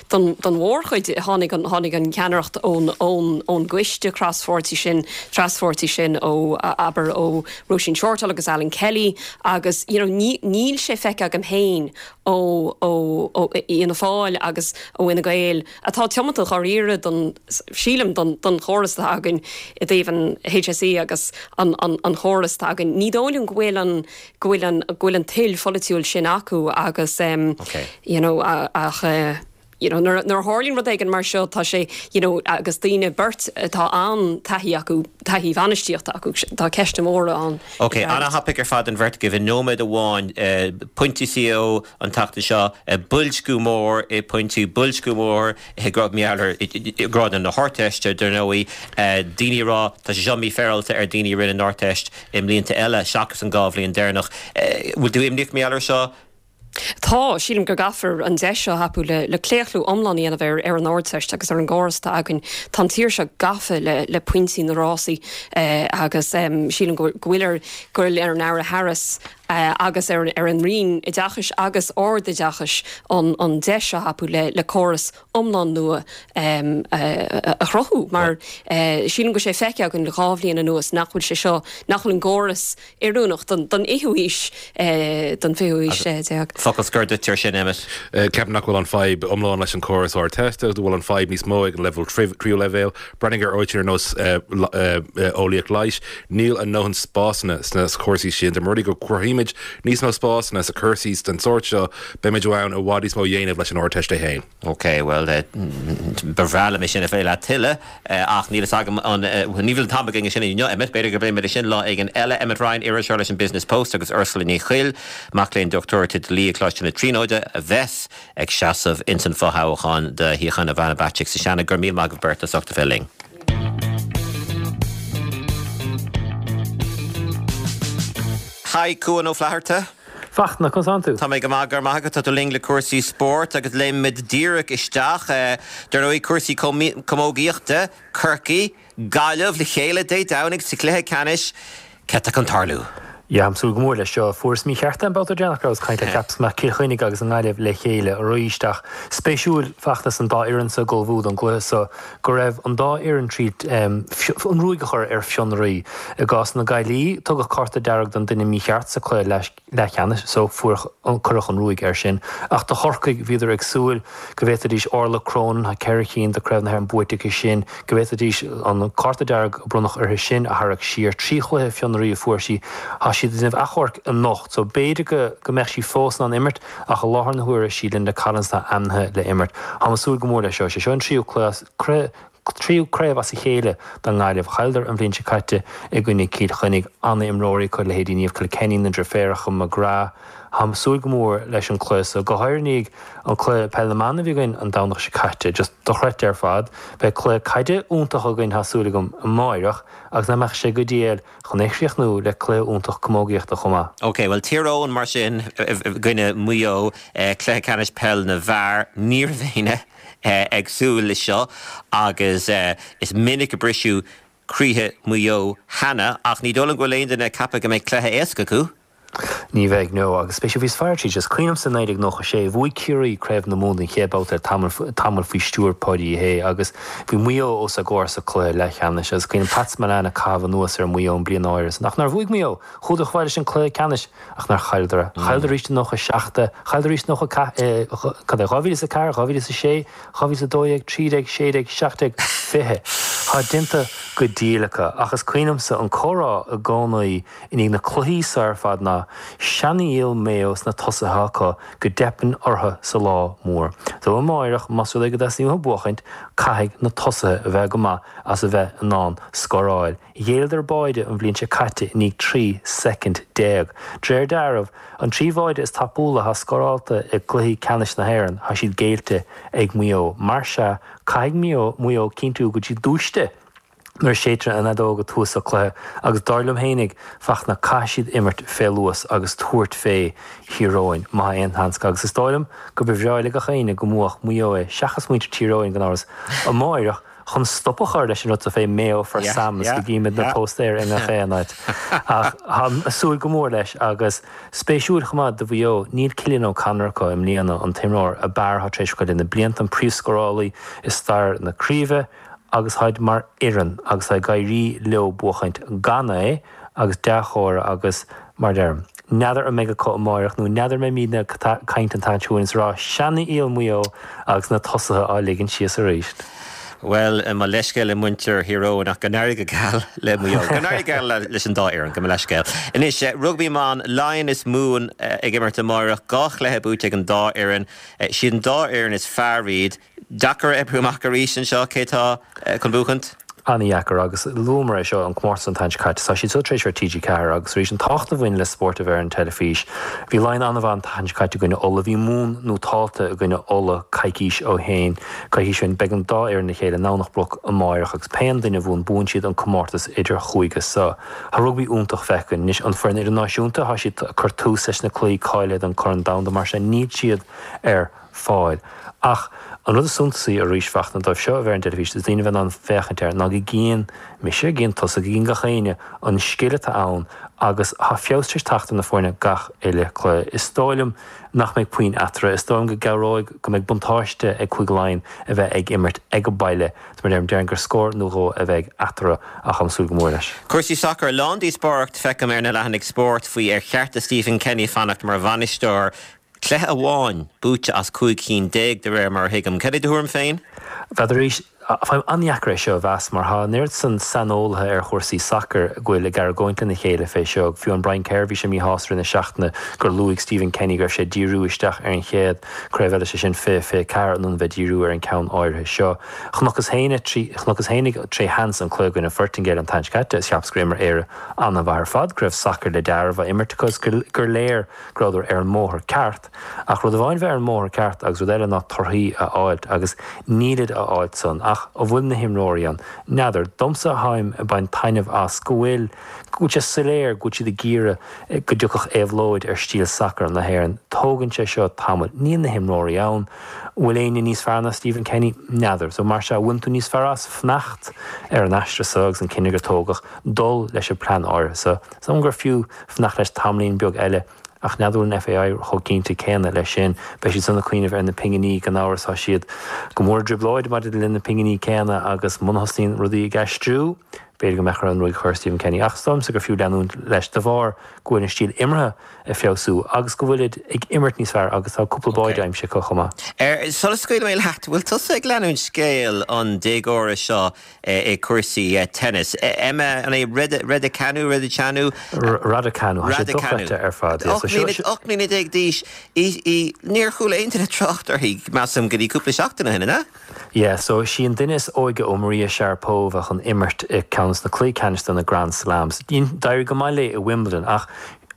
don don mhórchuid tháinig an tháinig an cheannaireacht ón ón ón gcoiste crospháirtí sin traspháirtí sin ó abair ó Róisín Shortall agus Alan Kelly agus you know ní níl sé feicthe agam féin ó ó ó Fhianna Fáil agus ó Fhine Gael atá tiomanta dháiríre don sílim don don chóras atá againn i dtaobh an HSE agus an an an chóras atá againn. Ní dóigh liom go bhfuil an go bhfuil an go bhfuil an toil pholaitiúil sin acu agus em you know ach eh you know, nuair, nuair a tharlaíonn rud éigin mar seo, tá sé, you know, agus daoine, beirt atá an-taithí acu, taithí bhainistíochta acu, tá ceisteanna móra ann. Ok, an-thapaidh ar fad an bheirt agaibh. I nóiméad amháin, pointí CAO an tseachtain seo, boilsciú mór i pointí, boilsciú mór i ngrád na hArdteiste, dar ndóigh, daoine ag rá, tá sé seo mífhéaráilte ar daoine a rinne an Ardteist i mblianta eile seachas an dá bhliain deireanach. Bhfuil tú imníoch mar gheall air seo? Tá, sílim go gcaithfear an deis seo a thapú le le claochlú iomlán a dhéanamh ar ar an Ardteist agus ar an gcóras atá againn. Tá an tír seo gafa le le pointí na rásaí agus sílim go go bhfuil ar go bhfuil ar an Aire Harris agus ar ar an Roinn Oideachais agus Ardoideachais an an deis seo a thapú le le córas iomlán nua a chruthú mar sílim go bhfuil sé feicthe againn le dhá bhliain anuas nach bhfuil sé seo, nach bhfuil an gcóras oiriúnach don fhichiú haois, don bhfichiú haois déag. Focal scoir duit ar sin, Emmet. Ceapaim nach bhfuil an fadhb iomlán leis an córas Ardteiste, go bhfuil an fadhb níos mó ag an leibhéal tríú leibhéal. Breathnaigh ar áiteanna ar nós eolaíocht leighis, níl a ndóthain spásanna sna cúrsaí sin. Dá mba rud é go gcruthaímid níos mó spásanna sa cúrsaí den sórt seo, beimid in ann i bhfad níos mó a dhéanamh leis an Ardteist é féin. Ok, bhuel, ba bhreá liom é sin a phlé leat tuilleadh, ach níl fhios agam an, ní bhfuil an t-am againn é sin inniu, Emmet, b'fhéidir go bpléimid é sin lá éigin eile. Emmet Ryan, iriseoir leis an Business Post agus Ursula Ní Chuill, mac léinn dochtúireachta dlí ag Coláiste na Tríonóide, a bheas ag seasamh ins an fothoghchán do shuíochán Ivana Bacik sa Seanad. Go raibh míle maith agaibh beirt as ucht a bheith linn. Haigh, Cuan Ó Flatharta. Fachtna, conas tánn tú? Tá mé go maith, go raibh maith agat. Tá tú linn le cúrsaí spóirt agus léimfimid díreach isteach, dar ndóigh, cúrsaí camógaíochta, Corcaigh, Gaillimh le chéile Dé Domhnaigh sa chluiche ceannais. Céard tá chun tarlú? Yeah, táim ag súil go mór leis seo. Fuaireas mícheart é an babhta deireanach go rabhas ag caint leat, cheapas go mbeadh Cill Chainnigh agus an Ghaillimh le chéile arís ach spéisiúil Fachtna is an dá fhoireann seo ag ullmhú don gcluiche seo go raibh an dá fhoireann tríd an ruaig a chur ar fionraí. I gcás na Gaillí, tugadh cárta dearg don duine mícheart sa cluiche leathcheannais so fuair cuireadh an ruaig air sin. Ach do Chorcaigh, bhíodar ag súil go bhféadfaidís Orla Cronin, tá ceithre cinn de Craobh na hÉireann buaite aici sin, go bhféadfaidís an cárta dearg a bronnadh uirthi sin a tharrac siar. Trí chluiche fionraí a fuair sí. Tá siad ag déanamh achomhairc anocht so b'fhéidir go mbeadh sí fós in ann imirt ach i láthair na huaire sí Linda Collins atá ainmnithe le imirt. Táim ag súil go mór leis seo. Sé seo an tríú cluiche, tríú craobh as a chéile don nGaillimh. Chailleadar an bhliain seo caite i gcoinne Cill Chainnigh. Ana-imreoirí acu, leithéidí Niamh Kilkenny, na deirféaracha McGrath. Táim ag súil go mór leis an cluiche seo, go háirithe i ndiaidh an cluiche Peil na mBan a bhí againn an Domhnach seo caite. Just dochreidte ar fad. Beidh cluiche caide iontach againn, tá súil agam, amáireach agus nach mbeadh sé go diail chun é a chríochnú le cluiche iontach camógaíochta chomh maith. Ok, bhuel Tír Eoghain mar sin i gcoinne Mhaigh Eo, cluiche ceannais peil na bhfear, ní raibh éinne ag súil le seo agus is minic a briseadh croíthe Mhaigh Eo cheana ach ní dóigh liom go bhfuil aon duine ag ceapadh go mbeidh cluiche éasca acu. Ní bheidh, no. Agus spéisiúil, bhíos ag faire tríd, is cuimhin liomsa 1996, bhuaigh Ciarraí Craobh na Mumhan den chéad babhta le tamall, tamall faoi stiúir Páidí Uí Shé agus bhí Maigh Eo os a gcomhair sa cluiche leathcheannais agus cuimhin liom Pat Spillane ag caitheamh anuas ar Mhaigh Eo an bliain áirithe san. Ach nár bhuaigh Maigh Eo? Chuadar chomh fada leis an cluiche ceannais ach nár chailleadar é. Chailleadar arís i 97, chailleadar arís i 94, cad é, 2004, 2006, 2012, 13, 16, 17, 20. Tá déanta. go diail acu. Ach is cuimhin liomsa an comhrá i gcónaí i ndiaidh na cluichí so ar fad ná seanfhial Maigh Eo sna tosaithe acu go dteipeann orthu sa lá mór. So amáireach, más rud é go dteastaíonn uathu buachaint, caithfidh na tosaithe a bheith go maith as a bheith in ann scóráil. Ghéilleadar báide an bhliain seo caite i ndiaidh 13 soicind. De réir dealraimh, an 3 bháide is tapúla atá scórálta i gcluichí ceannais na hÉireann, tá siad géillte ag Maigh Eo. Mar sea, caithfidh Maigh Eo cinntiú go bhfuil siad dúiste nuair a séidtear an fheadóg ag tús an chluiche agus dar liom fhéinig, Fachtna, caithfidh siad imirt fé luas agus tabhairt fé Thír Eoghain, má tá aon sheans acu agus is dóigh liom go ba bhreá le gach éinne go mbuafadh Maigh Eo é seachas muintir Tír Eoghain gan amhras, amáireach. chun stop a chur leis an rud so fé Mayo for Sam is go gcímid na póstaeir i ngach aon áit. Ach táim ag súil go mór leis agus spéisiúil chomh maith do Mhaigh Eo, níl Cillian O'Connor acu i mbliana, an t-imreoir ab fhearr atá tar éis acu le na blianta, an príomhscórálaí i stair na craoibhe agus táid mar fhoireann agus tá ag éirí leo buachaint gan é agus dea-chomhartha agus, mar a deirim, n'fheadar an mbeidh acu amáireach nó n'fheadar an mbeimidne ag caint an tseachtain seo chugainn is ag rá seanfhial Mhaigh Eo agus na tosaithe á ligean síos arís. Bhuel, mo leithscéal le muintir Thír Eoghain ach go n-éirí go geal le Maigh Eo. Go n-éirí go geal leis an dá fhoireann, gabh mo leithscéal. Anois, rugbaí mban, Laighin is Mumhain ag imirt amáireach, 2 chluiche buaite ag an dá fhoireann. Siad an dá fhoireann is fearr iad. Deacair a oibriú amach arís anseo cé tá chun buachaint. An-dheacair agus luamar é seo an comórtas an tseachtain seo caite. Tá siad seo tar éis ar TG4 agus arís an tábhacht a bhain le spórt a bheith ar an teilifís. Bhí Laighin an-mhaith an tseachtain seo caite i gcoinne Uladh. Bhí Mumhan nótálta i gcoinne Uladh coicís ó shin. Coicís ó shin. Beidh an dá fhoireann le chéile i nDomhnach Broc amáireach agus pé an duine a bhuann, buann siad an comórtas idir-chúige seo. Tá rugbaí iontach feicthe againn. Anois an foireann idirnáisiúnta, tá siad ag cur tús leis na cluichí cáilithe don Corn Domhanda mar sin níl siad ar fáil. Ach an rud is suntasaí arís, Fachtna, dóibh seo a bheith ar an dteilifís, is daoine a bheith in ann féachaint air, ná go gcíonn mise, go gcíonn tusa, go gcíonn gach éinne an scil atá ann agus tá feabhas tar éis teacht ar na foirne gach uile cluiche. Is dóigh liom nach mbeidh puinn eatarthu. Is dóigh liom go gcabhróidh go mbeidh buntáiste ag Cúige Laighean a bheith ag imirt ag an baile. Is mar a deirim, déarfainn gur scór nó dhó a bheidh eatarthu ach táim ag súil go mór leis. Cúrsaí sacair, lán díospóireacht feicim ar na leathanaigh spóirt faoi ar cheart do Stephen Kenny fanacht mar bhainisteoir. Cluiche amháin buaite as 15 cinn de réir mar a thuigim. Cad é do thuairim féin? N'fheadar arís, faighim an-dheacair é seo a mheas mar tá an oiread san saineolaithe ar chúrsaí sacair go bhfuil ag argóint lena chéile fé seo. Fiú an Brian Kerr bhí sé míshásta i rith na seachtaine gur luaigh Stephen Kenny go raibh sé ag díriú isteach ar an chéad craobh eile, sé sin 2024, in ionad bheith ag díriú ar an ceann áirithe seo. Chonacthas fhéinig tré sheans an cluiche i gcoinne Phortaingéil an tseachtain seo caite is cheapas gur imir Éire an-mhaith ar fad, go raibh sacar le dealramh á imirt acu is gur léir go rabhadar ar an mbóthar ceart, ach rud amháin bheith ar an mbóthar ceart agus rud eile ná torthaí a fháilt agus nílid á fháilt san. Ach an bhfuil na himreoirí ann? N'fheadar. Domsa tháim ag baint taitneamh as go bhfuil, go bhfuil sé soiléir go bhfuil siad ag iarraidh go dtiocfadh éabhlóid ar stíl sacair na hÉireann. Tógann sé seo tamall. Níl na himreoirí ann. Bhfuil éinne níos fearr ná Stephen Kenny? N'fheadar. So mar sea, bhfuil tú níos fearr as fanacht ar an aistear so agus an cinneadh gur tógadh dul leis an plean áirithe so? Is dóigh liom gur fiú fanacht leis tamaillín beag eile, ach n'fheadar an bhfuil an FAI chomh cinnte céanna leis sin. Beidh siad san ag cuimhneamh ar na pinginí, gan amhras. Tá siad go mór i dtrioblóid maidir le na pinginí céanna agus muna thosnaíonn rudaí ag aistriú, b'fhéidir go mbeadh orthu an ruaig a chur ar Stephen Kenny. Ach is dóigh liomsa gur fiú leanúint leis de bharr go bhfuil an stíl imeartha ag feabhsú agus go bhfuilid ag imirt níos fearr agus tá cúpla báide aimsithe acu chomh maith. Sula scaoilfidh mé leat, bhfuil tusa ag leanúint scéal an déagóra seo i cúrsaí tennis. Emma, an é Redicanu, Redicanu? Raducanu, tá sé dochreidte ar fad. 18 mbliana d'aois, í, níor chuala aon duine trácht uirthi, measaim, go dtí cúpla seachtain ó shin, an ea? Yeah, so is í an duine is óige ó Maria Sharapova chun imirt i ceann de na cluichí ceannais de na Grand Slams. D'éirigh go maith léi i Wimbledon ach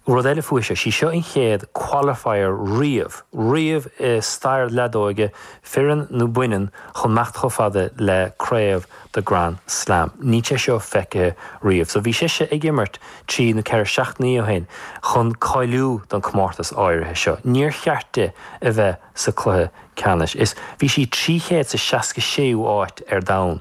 rud eile fúithi seo, sí seo an chéad qualifier riamh, riamh i stair leadóige fireann nó baineann, chun imeacht chomh fada le craobh de Grand Slam. Níl sé seo feicthe riamh. So bhí sise ag imirt trí nó ceithre seachtainí ó shin chun cáiliú don comórtas áirithe seo. Níor cheart di a bheith sa cluiche ceannais. Is bhí sí 366ú áit ar domhan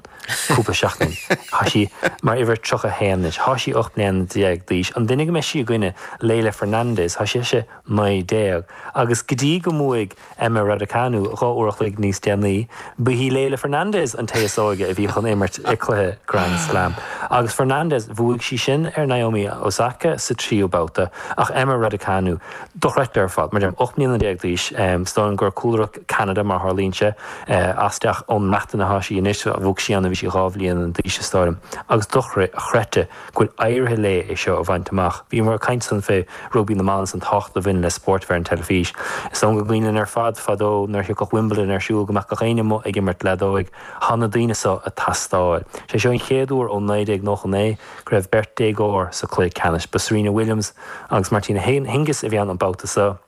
cúpla seachtain. Tá sí mar uimhir 31 anois. Tá sí 18 mbliana d'aois. An duine go mbeidh sí i gcoinne, Leylah Fernandez, tá sise 19. Agus go dtí go mbuaigh Emma Raducanu 2 uair a chloig níos déanaí, ba í Leylah Fernandez an té is óige a bhí chun imirt i cluiche Grand Slam. Agus Fernandez, bhuaigh sí sin ar Naomi Osaka sa tríú babhta, ach Emma Raducanu, dochreidte ar fad. Mar a deirim, 18 mbliana d'aois, is dóigh liom gur cúlra Ceanada. Cheanada mar a tharlaíonn sé. Aisteach ón mBreatain atá sí anois, bhog sí ann nuair a bhí sí 2 bhliain d'aois is dóigh liom, agus dochreidte go bhfuil éirithe léi é seo a bhaint amach. Bhíomar ag caint ansan fé rugbaí na mban is an tábhacht a bhaineann le spórt a bheith ar an teilifís. Is dóigh liom go gcuimhin linn ar fad fadó nuair a thiocfadh Wimbledon ar siúl go mbeadh gach éinne amuigh ag imirt leadóig. Tá na daoine seo ag teastáil. Sé seo an chéad uair ó 1999 go raibh beirt déagóir sa chluiche ceannais. Ba Serena Williams agus Martina Hingis a bhí ann an babhta seo.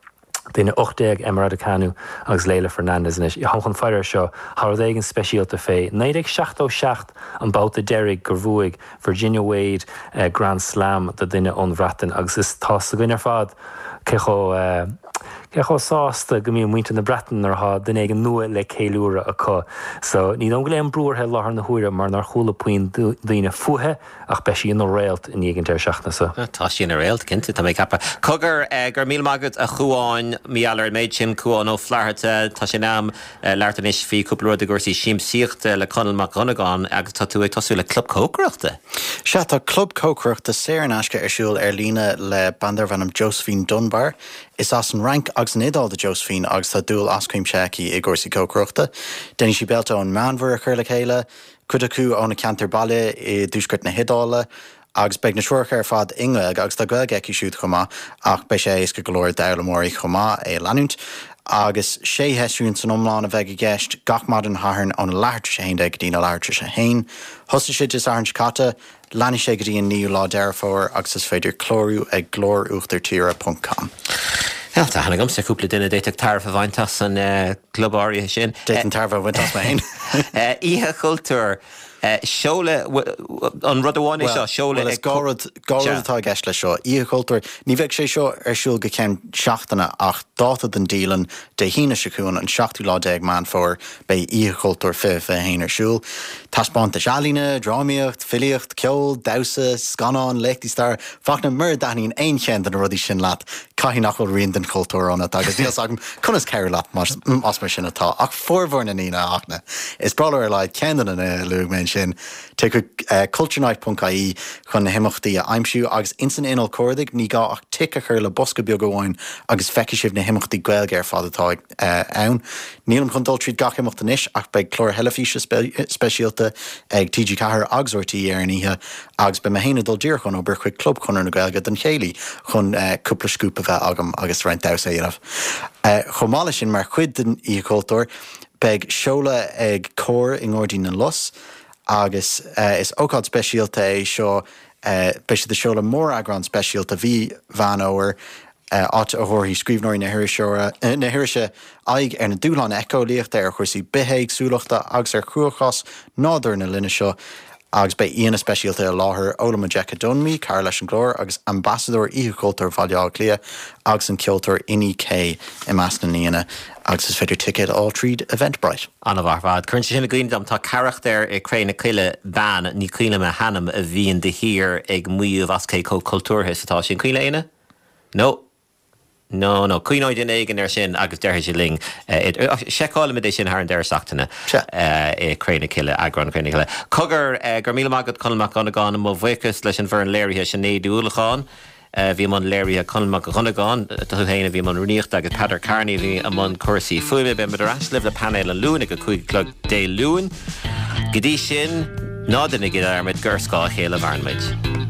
Duine 18, Emma Raducanu agus Leylah Fernandez anois. Táim chun faire air seo. Tá rud éigin speisialta fé. 1977 an babhta deiridh gur bhuaigh Virginia Wade Grand Slam do duine ón Bhreatain agus is tá 's againn ar fad cé chomh cé chomh sásta go mbíonn muintir na Breataine nuair atá duine éigin nua le ceiliúradh acu. So ní dóigh liom go bhfuil aon brú uirthi i láthair na huaire mar nár chuala puinn daoine fúithi. Ach beidh sí ina réalt i ndiaidh an deireadh seachtaine seo. Tá sí ina réalt, cinnte, tá mé ag ceapadh. Cogar, go raibh míle maith agat a Chuáin, mar gheall ar an méid sin, Cuán Ó Flatharta. Tá sé in am labhairt anois faoi cúpla rud i gcúrsaí siamsaíochta le Conall Mac Dhonnagáin agus tá tú ag tosú le club cócaireachta. Sea, tá club cócaireachta saor in aisce ar siúl ar líne le bean darbh ainm Josephine Dunbar. Is as an Fhrainc agus an Iodáil do Josephine agus tá dúil as cuimse aici i gcúrsaí cócaireachta. Déanann sí béilte ón Meánmhuir a chur le chéile, cuid acu óna ceantar baile i dtuaisceart na hIodáile, agus beidh na treoracha ar fad i nGaeilge, agus tá Gaeilge aici siúd chomh maith, ach beidh sé éasca go leor d'fhoghlaimeoirí chomh maith é a leanúint. Agus sé sheisiún san iomlán a bheidh i gceist, gach maidin Shathairn óna leathuair tar éis a haon déag go dtí na leathuair tar éis a haon. Thosaigh sé Dé Sathairn seo caite, Leanfaidh sé go dtí an 9ú lá Deireadh Fómhair agus is féidir clárú ag glóruachtartire ponc com. Bhuel, tá aithne agamsa ar chúpla duine a d'fhéadfadh tairbhe a bhaint as an gclub áirithe sin. D'fhéadfainn tairbhe a bhaint as mé féin. Oíche Chultúir, seoladh, an rud amháin é seo, seoladh ag. Bhuel, is dhá rud, dhá rud atá i gceist leis seo. Oíche Chultúir, ní bheidh sé seo ar siúl go ceann seachtaine ach dáta don dialann, Dé hAoine seo chugainn, an seachtú lá déag Meán Fómhair, Beidh Oíche Chultúir 2021 ar siúl. Taispeántais ealaíne, drámaíocht, filíocht, ceol, damhsa, scannáin, léachtaí staire, Fachtna, mura dtaitníonn aon cheann de na rudaí sin leat, caithfidh nach bhfuil rian den chultúr ionat agus níl 's agam conas cabhrú leat más mar sin atá. Ach formhór na ndaoine, a Fhachtna, is breá leo ar a laghad ceann de na nithe a luaigh mé ansin. Téigh chuig culturenight.ie chun na himeachtaí a aimsiú agus ins an inneall cuardaigh, ní gá ach tic a chur le bosca beag amháin agus feicfidh sibh na himeachtaí Gaeilge ar fad atá ann. Nílim chun dul tríd gach imeacht anois ach beidh cláir theilifíse speisialta ag TG4 agus RTÉ ar an oíche agus beidh mé féin ag dul díreach ón obair chuig Club Chonradh na Gaeilge don chéilí chun cúpla scúp a bheith agam agus roinnt damhsa a dhéanamh. Chomh maith leis sin, mar chuid den Oíche Chultúir, beidh seoladh ag Comhar i nGairdín na Lus agus is ócáid speisialta é seo, beidh siad ag seoladh móreagrán speisialta mhí Mheán Fhómhair, áit a thabharfaidh scríbhneoirí na hirise aghaidh ar na dúshláin éiceolaíochta, ar chúrsaí bithéagsúlachta agus ar chruachás nádúir na linne seo agus beidh aíonna speisialta i láthair, Ola Majekodunmi, cara leis an gclár agus Ambasadóir Oíche Chultúir Bhaile Átha Cliath agus an ceoltóir Inni K i measc na n-aíonna agus is féidir ticéid a fháil tríd Eventbrite. An-mhaith ar fad. Cuireann sé sin i gcuimhne dom, tá carachtar i Cré na Cille, bean, ní cuimhin liom a hainm, a bhíonn de shíor ag maíomh as cé chomh cultúrtha is atá sí. An cuimhin le éinne? No. No, no. Cuimhneoidh duine éigin air sin agus déarfaidh sé linn. Seiceálfaimid é sin thar an deireadh seachtaine i Cré na Cille, eagrán Cré na Cille. Cogar, go raibh míle maith agat Conall Mac Dhonnagáin, mo bhuíochas leis an bhfoireann léirithe Sinéad Ní Uallacháin a bhí i mbun léirithe, Conall Mac Dhonnagáin, tú féin a bhí i mbun rúnaíochta agus Peadar Kearney a bhí i mbun cúrsaí fuaime. Beimid ar ais libh le painéal an Luain ag a 5 a chlog Dé Luain. Go dtí sin, ná déanaigí dearmad gur ar scáth a chéile a mhaireann muid.